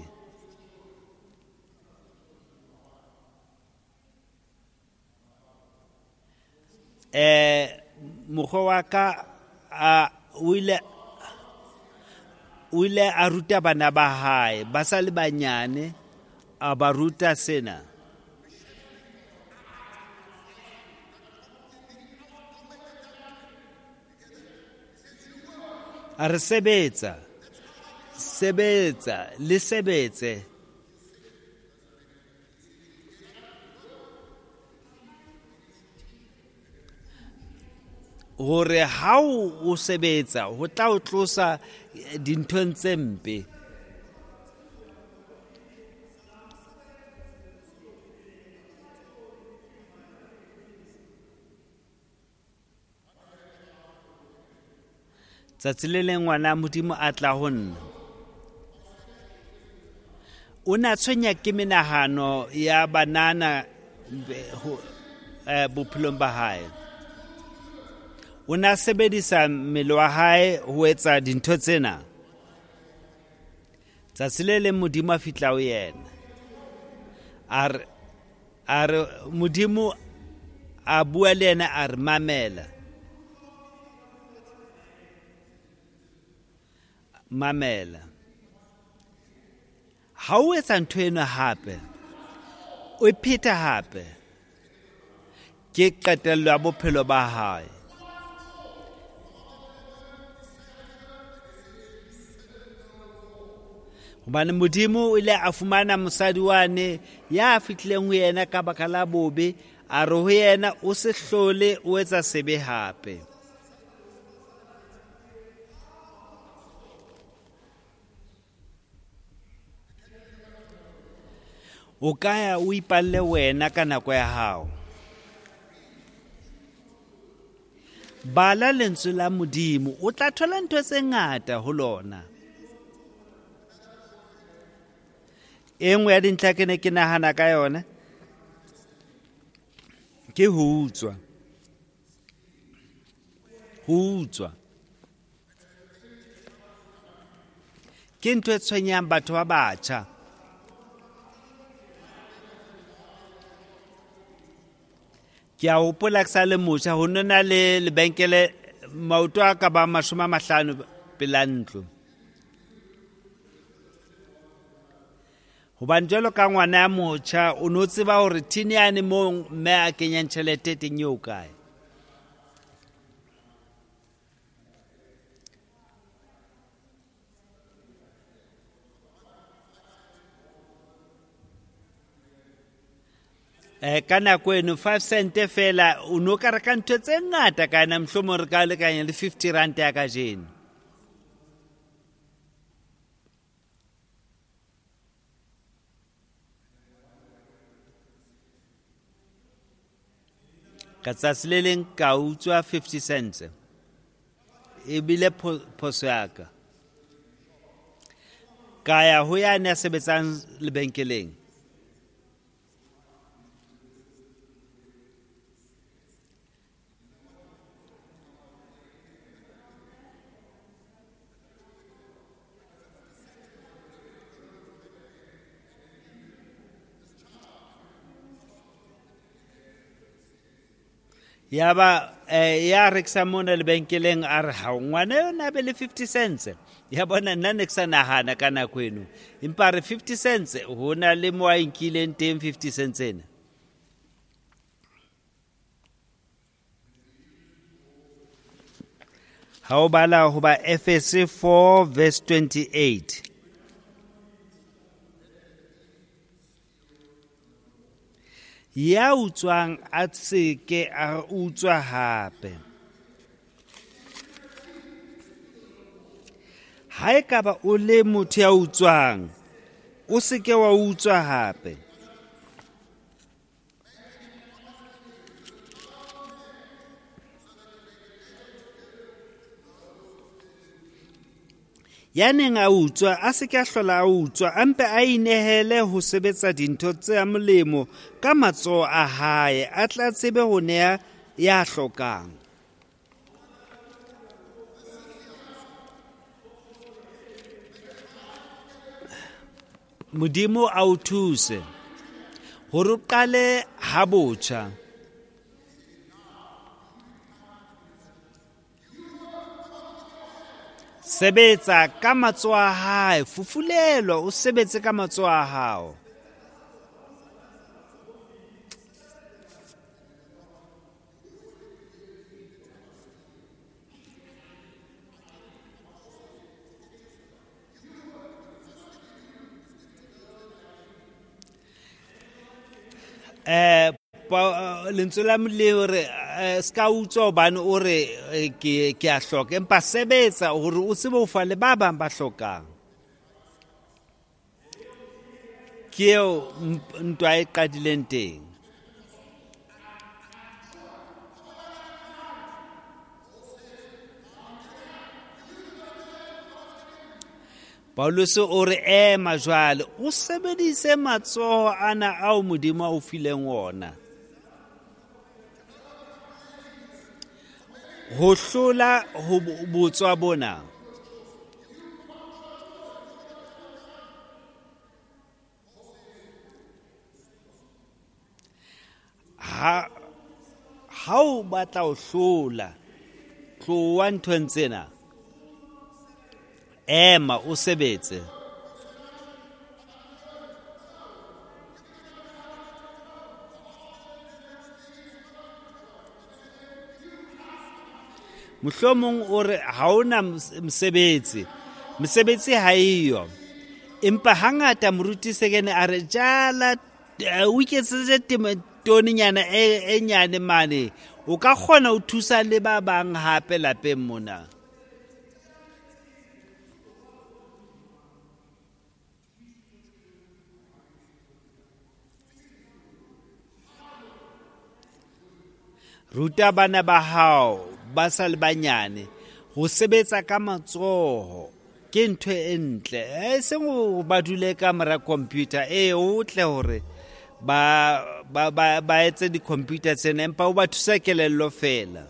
Eh mokgwa wa ka a o ile o ile a ruta bana ba hae ba sa le banyane, a ba ruta sena. A re sebetsa, sebetsa, le sebetse. Hore ha o sebetsa ho tla o tlosa dinthong tse mpe. Tsatsi le leng ngwana Modimo a tla ho nna. O na tshwenya ke menahano ya banana bophelong ba hae. O na sebedisa mmele wa hae ho etsa dintho tsena. Tsatsi le leng Modimo a fihla ho yena. A re, a re Modimo a bua le yena a re mamela. Mamela. Ha o etsa ntho eno hape, o e pheta hape, ke qetello ya bophelo ba hae. Hobane Modimo o ile a fumana mosadi wane ya fihlileng ho yena ka baka la bobe, a re ho yena o se hlole o etsa sebe hape. O ka ya o ipalle wena ka nako ya hao. Bala lentswe la Modimo, o tla thola ntho tse ngata ho lona. E nngwe ya dintlha ke ne ke nahana ka yona ke ho utswa. Ho utswa ke ntho e tshwenyang batho ba batjha. Ke a hopola ke sa le motjha, ho no na le lebenkele maoto a ka ba mashome a mahlano pela ntlo. Hobane jwalo ka ngwana ya motjha o no tseba hore thini yane moo mme a kenyang tjhelete teng eo kae. Eh ka nako eno five cent fela o no ka reka ntho tse ngata ka yona, mohlomong re ka lekanya le fifty rand ya kajeno. Ka tsatsi le leng ka utswa fifty cents. Ebile phoso ya ka. Ka ya ho yane ya sebetsang lebenkeleng. Ya ba eh, ya rekisa mona lebenkeleng a re ha ngwana yona a be le fifty cents. Ya bona nna ne ke sa nahana ka nako eno, empa re fifty cents ho na le mo a nkileng teng fifty cents ena. Ha o bala ho ba Efese four verse twenty-eight. Ya utswang a se ke a utswa hape. Ha ekaba o le motho ya utswang, o se ke wa utswa hape. Ya neng a utswa a se ke a hlola a utswa, a mpe a inehele ho sebetsa dintho tse molemo ka matsoho a hae, a tla tsebe ho nea ya hlokang. Modimo a o thuse hore o qale ha botjha. Sebetsa ka matsoho a hae, fufulelwa o sebetse ka matsoho a hao. Eh lentswe la Modimo re ska utswa hobane o re ke ke a hloka, empa sebetsa hore o tsebe ho fa le ba bang ba hlokang. Ke eo ntwa e qadileng teng. Paulus o re ema jwale o sebedise matsoho ana ao Modimo a o fileng wona ho hlola ho botswa bona. Ha ha o batla ho hlola, tloha nthong tsena, ema o sebetse. Mohlomong o re ha ona mosebetsi, mosebetsi ha eyo, empa hangata moruti Sekene a re jala o iketsetse toninyana e nyane mane, o ka kgona ho thusa le ba bang hape lapeng mona. Ruta bana ba hao ba sa le banyane ho sebetsa ka matsoho ke ntho e ntle, e seng ho ba dule ka mora computer. E o tle hore ba ba ba ba etse di-computer tsena, empa o ba thusa kelello fela.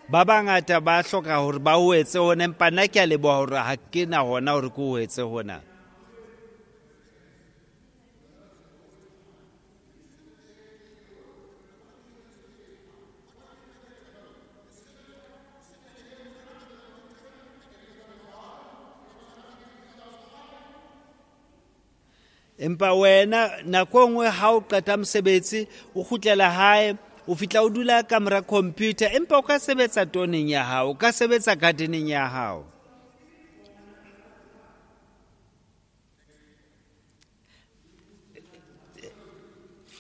Ba bangata ba hloka hore ba o etse hona, empa nna ke a leboha hore ha ke na hona hore ke o etse hona. Empa wena nako e nngwe ha o qeta mosebetsi o kgutlela hae, o fihla o dula ka mora computer, empa o ka sebetsa toneng ya hao, o ka sebetsa gardeneng ya hao.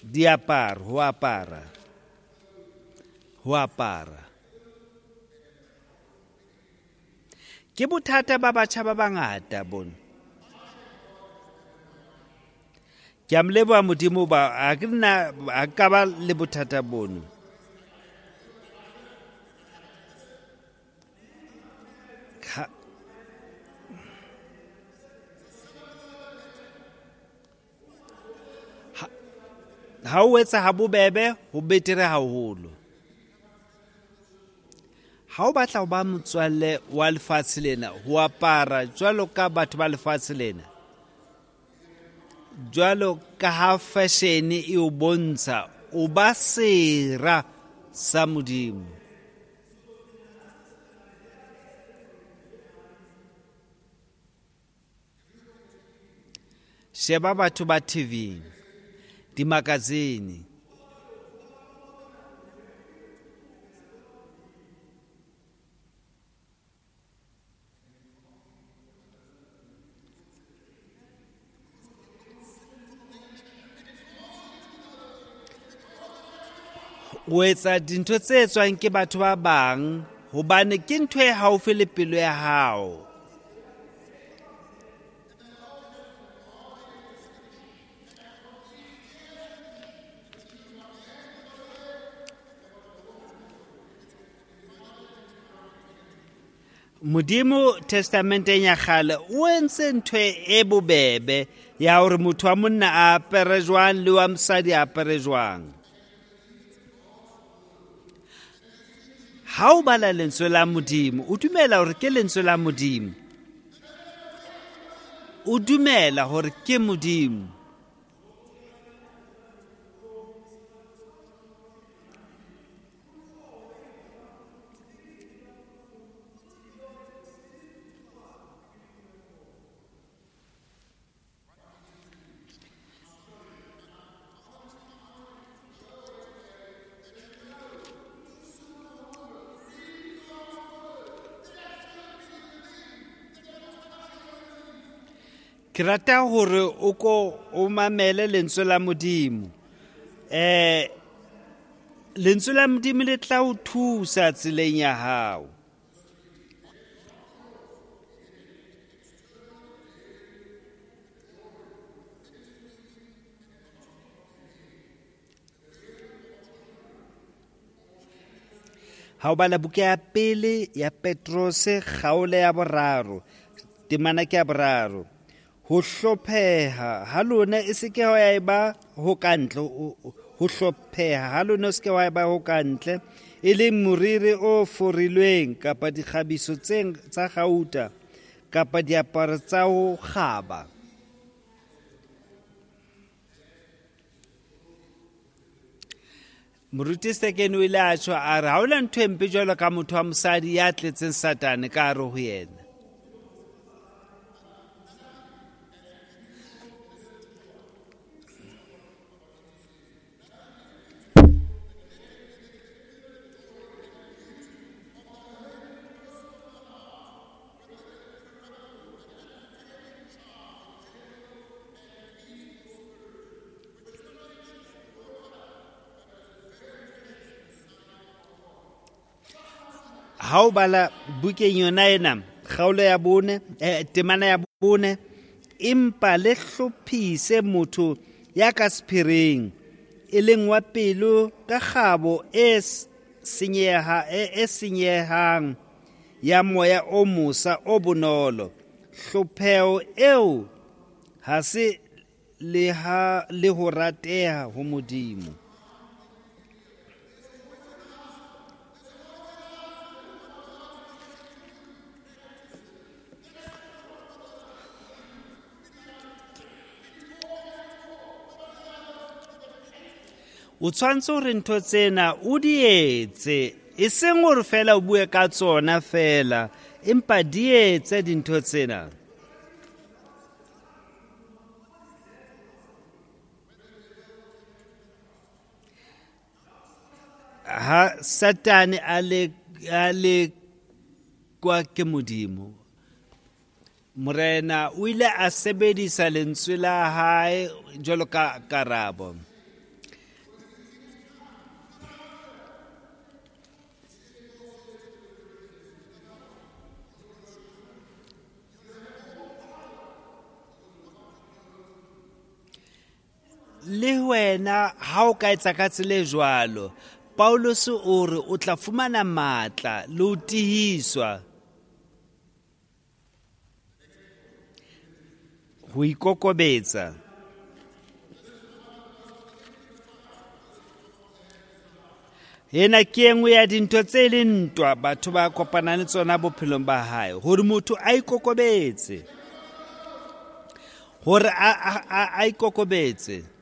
Diaparo, ho apara, ho apara ke bothata ba batjha ba bangata bona. Ke a mo leboha Modimo ba ha ke nna ha ka ba le bothata bono. Ha o etsa ha bobebe ho betere haholo. Ha o batla ho ba motswalle wa lefatshe lena, ho apara jwalo ka batho ba lefatshe lena, jwalo ka ha fashion e o bontsha, o ba sera sa Modimo. Sheba batho ba T V, di-magazine. O etsa dintho tse etswang ke batho ba bang hobane ke ntho e haufi le pelo ya hao. Modimo testamenteng ya kgale o entse ntho e bobebe ya hore motho wa monna a apere jwang le wa mosadi a apere jwang. Ha o bala lentswe la Modimo, o dumela hore ke lentswe la Modimo. O dumela hore ke Modimo. Ke rata hore o ko o mamele lentswe la Modimo. Eh lentswe la Modimo le tla o thusa tseleng ya hao. Ha o bala buka ya pele ya Petrose kgaolo ya boraro, temana ke ya boraro. Ho hlopheha ha lona e se ke ya eba ho kantle, ho hlopheha ha lona e se ke ya eba ho kantle, e leng moriri o forilweng kapa dikgabiso tse tsa gauta kapa diaparo tsa ho kgaba. Moruti Sekene o ile a tjho a re ha hona ntho e mpe jwalo ka motho wa mosadi ya tletseng Satane ka hare ho yena. Ha o bala bukeng yona ena kgaolo ya bone, eh, temana ya bone, empa le hlophise motho ya ka sephiring e leng wa pelo ka kgabo e senyeha e senyehang ya moya o mosa o bonolo. Hlopheho eo ha se le ha le ho rateha ho Modimo. O tshwanetse hore ntho tsena o di etse, e seng hore fela o bue ka tsona fela, empa di etse dintho tsena. Ha Satane a le a le kwa ke Modimo, Morena o ile a sebedisa lentswe la hae jwalo ka karabo. Le wena ha o ka etsa ka tsela e jwalo, Paulus o re o tla fumana matla le ho tihiswa ho ikokobetsa. Ena ke e nngwe ya dintho tse leng ntwa batho ba kopanang le tsona bophelong ba hae, hore motho a ikokobetse, hore a a a ikokobetse.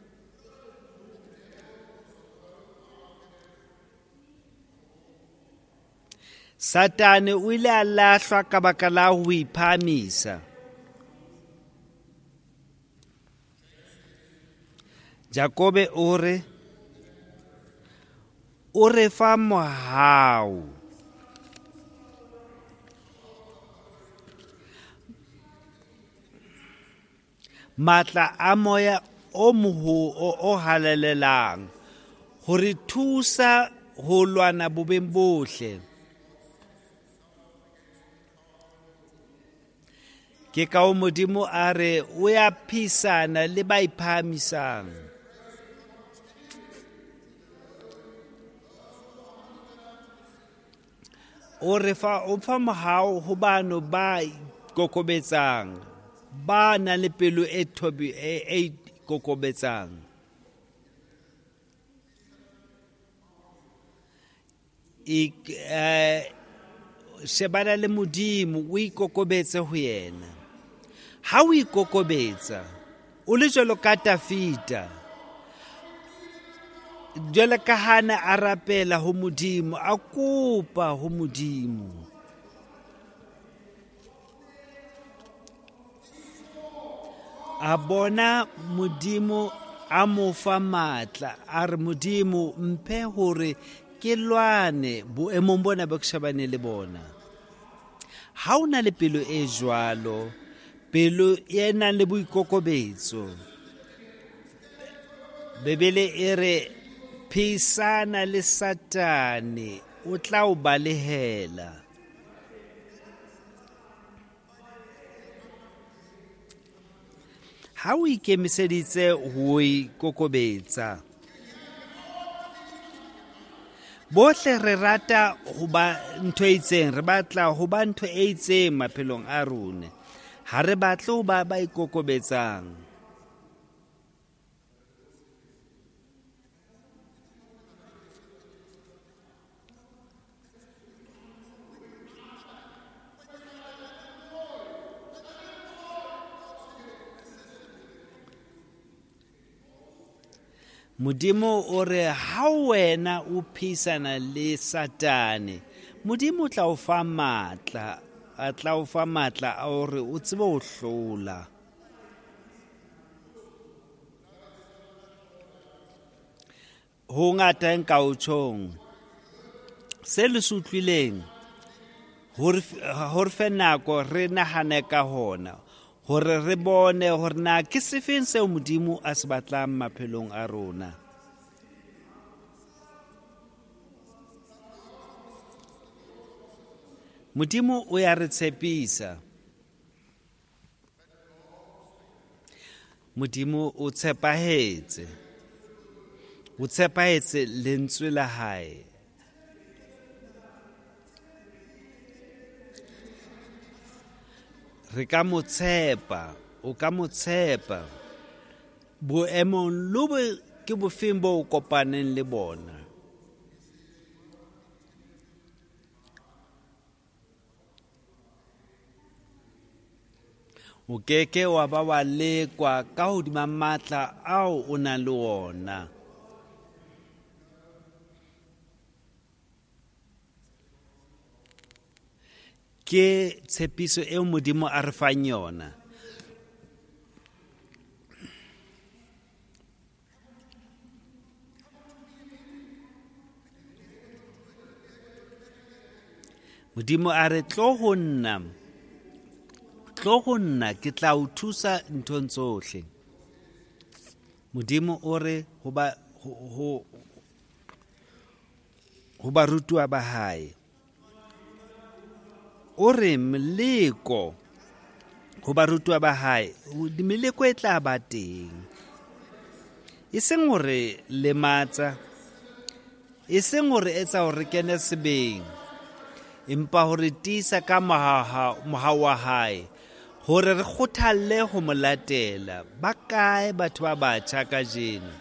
Satane o ile a lahlwa ka baka la ho iphahamisa. Jakobe o re o re fa mohau. Matla a moya o moho o halalelang ho re thusa ho lwana bobeng bohle. Ke ka o Modimo a re o ya phisana le ba iphahamisang. O re fa o fa mohau ho bano ba kokobetsang, ba nang le pelo e thobi e e kokobetsang. E eh shebana le Modimo o ikokobetse ho yena. Ha o ikokobetsa o le jwalo ka Tafita, jwalo ka hana a rapela ho Modimo, a kopa ho Modimo. A bona Modimo a mo fa matla, a re Modimo mphe hore ke lwane boemong bona bo ke shebane le bona. Ha o na le pelo e jwalo, Pelo e nang le boikokobetso. Bibele e re pheisana le Satane, o tla o balehela. Ha o ikemiseditse ho ikokobetsa. Bohle re rata ho ba ntho e itseng, re batla ho ba ntho e itseng maphelong a rona. Ha re batle ho ba ba ikokobetsang. Modimo o re ha wena o pheisana le Satane, Modimo o tla o fa matla, a tla o fa matla a hore o tsebe ho hlola. Ho ngata nka o tjhong. Se le se utlwileng, hore hore fe nako re nahane ka hona, hore re bone hore na ke sefeng seo Modimo a se batlang maphelong a rona. Modimo o ya re tshepisa. Modimo o tshepahetse. O tshepahetse lentswe la hae. Re ka mo tshepa, o ka mo tshepa. Boemong lo bo ke bofeng bo o kopaneng le bona. O keke wa ba wa lekwa ka hodima matla ao o nang le ona. Ke tshepiso eo Modimo a re fang yona. Modimo a re tlo ho nna, tlo ho nna ke tla o thusa nthong tsohle. Modimo o re ho ba ho, ho, ho barutuwa ba hae. O re meleko ho barutuwa ba hae, meleko e tla ba teng. E seng hore lematsa, e seng hore etsa hore kene sebeng, empa hore tiisa ka mohau wa hae, hore re kgothalle ho mo latela. Ba kae batho ba batjha kajeno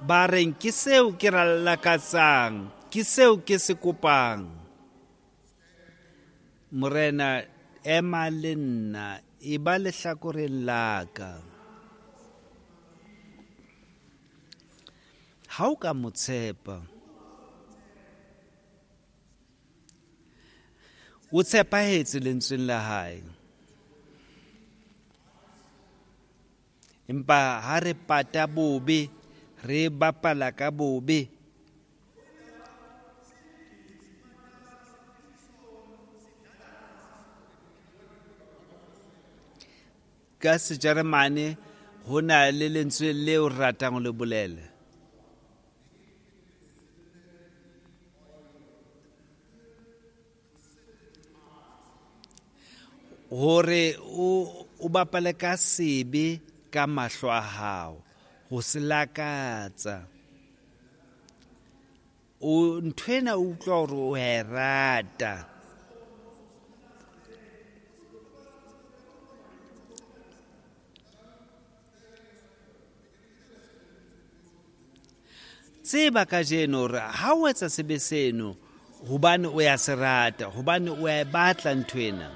ba reng ke seo ke lakatsang, ke seo ke se kopang? Morena, ema le nna, e ba lehlakoreng la ka. Ha o ka mo tshepa, o tshepahetse lentsweng la hae. Empa ha re pata bobe, re bapala ka bobe, ka Sejeremane ho na le lentswe leo re ratang ho le bolela. Hore o o bapale ka sebe ka mahlo a hao, ho se lakatsa. O nthwena o utlwa hore o e rata. Tseba kajeno hore ha o etsa sebe seno hobane o ya se rata, hobane o ya e batla nthwena.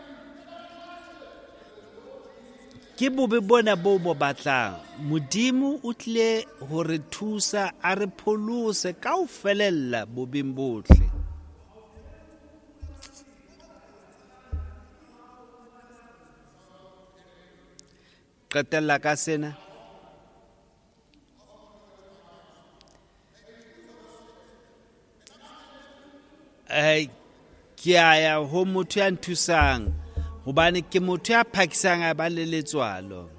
Ke bobe bona bo bo batlang. Modimo o tlile ho re thusa, a re pholose ka ho felella bobeng bohle. Qetella ka sena. Eh, ke a ya ho motho ya nthusang Hobane ke motho ya phakisang a ba le letswalo.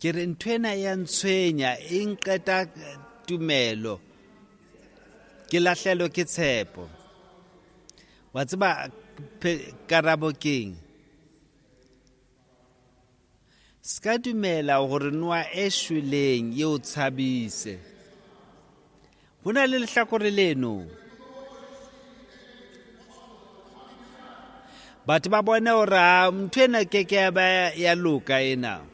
Ke re ntho ena ya ntshwenya e nqeta tumelo. Ke lahlelwe ke tshepo. Wa tseba karabo keng? Ska dumela hore noa e shweleng e o tshabise. Ho na le lehlakore leno. Batho ba bone hore ntho ena ke ke ya ba ya loka ena.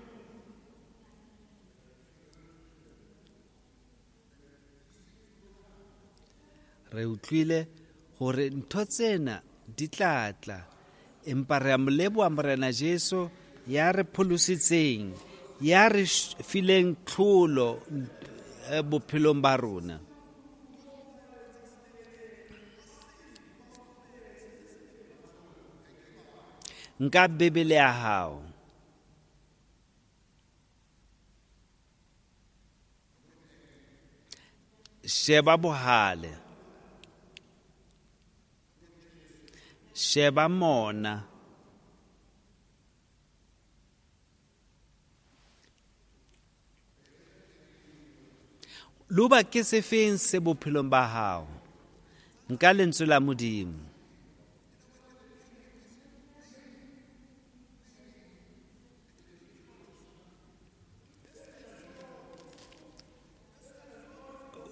Re utlwile hore ntho tsena di tla tla, empa re a mo leboha Morena Jesu ya re pholositseng, ya re fileng tlholo bophelong ba rona. Nka Bibele ya hao. Sheba bohale. Sheba mona. Loba ke sefeng se bophelong ba hao. Nka lentswe la Modimo.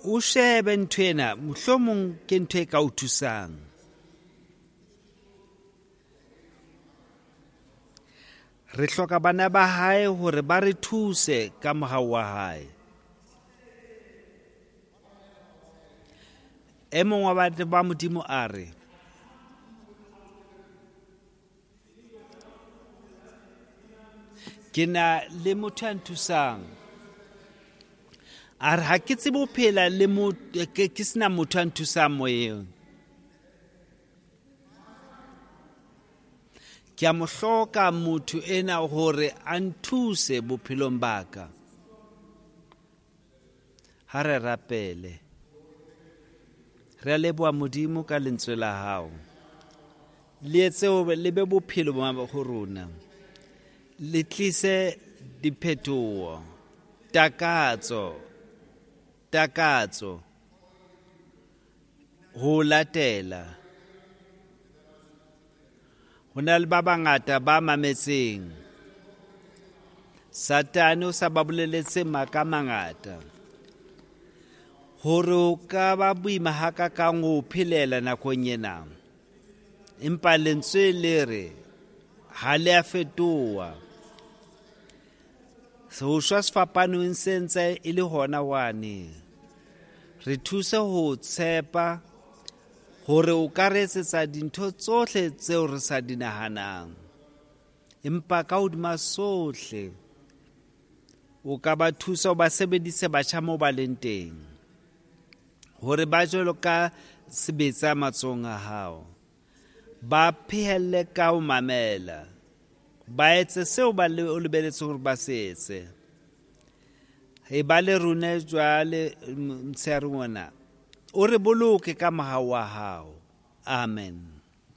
O shebe ntho ena, mohlomong ke ntho e ka o thusang. Re hloka bana ba hae hore ba re thuse ka mohau wa hae. E mong wa batho ba Modimo a re, ke na le motho ya nthusang. A re ha ke tsebe ho phela le motho, ke sena motho ya nthusang moyeng. Ke a mo hloka motho ena hore a nthuse bophelong ba ka. Ha re rapele. Re a leboha Modimo ka lentswe la hao. Le etse hore le be bophelo ba ho rona. Le tlise diphetoho, takatso, takatso ho latela. Ho na le ba bangata ba mametseng. Satane o sa ba boleletse maka a mangata. Hore o ka ba boima hakakang ho phelela nakong ena. Empa lentswe le re ha le a fetoha. Ho shwa sefapanong se ntse e le hona wane. Re thuse ho tshepa hore o ka re etsetsa dintho tsohle tseo re sa di nahanang. Empa ka hodima sohle o ka ba thusa o ba sebedise batjha moo ba leng teng, hore ba jwalo ka sebetsa matsohong a hao. Ba phehelle ka ho mamela, ba etse seo ba o lebeletseng hore ba se etse. E ba le rona jwale motshehare ona, o re boloke ka mohau wa hao. Amen.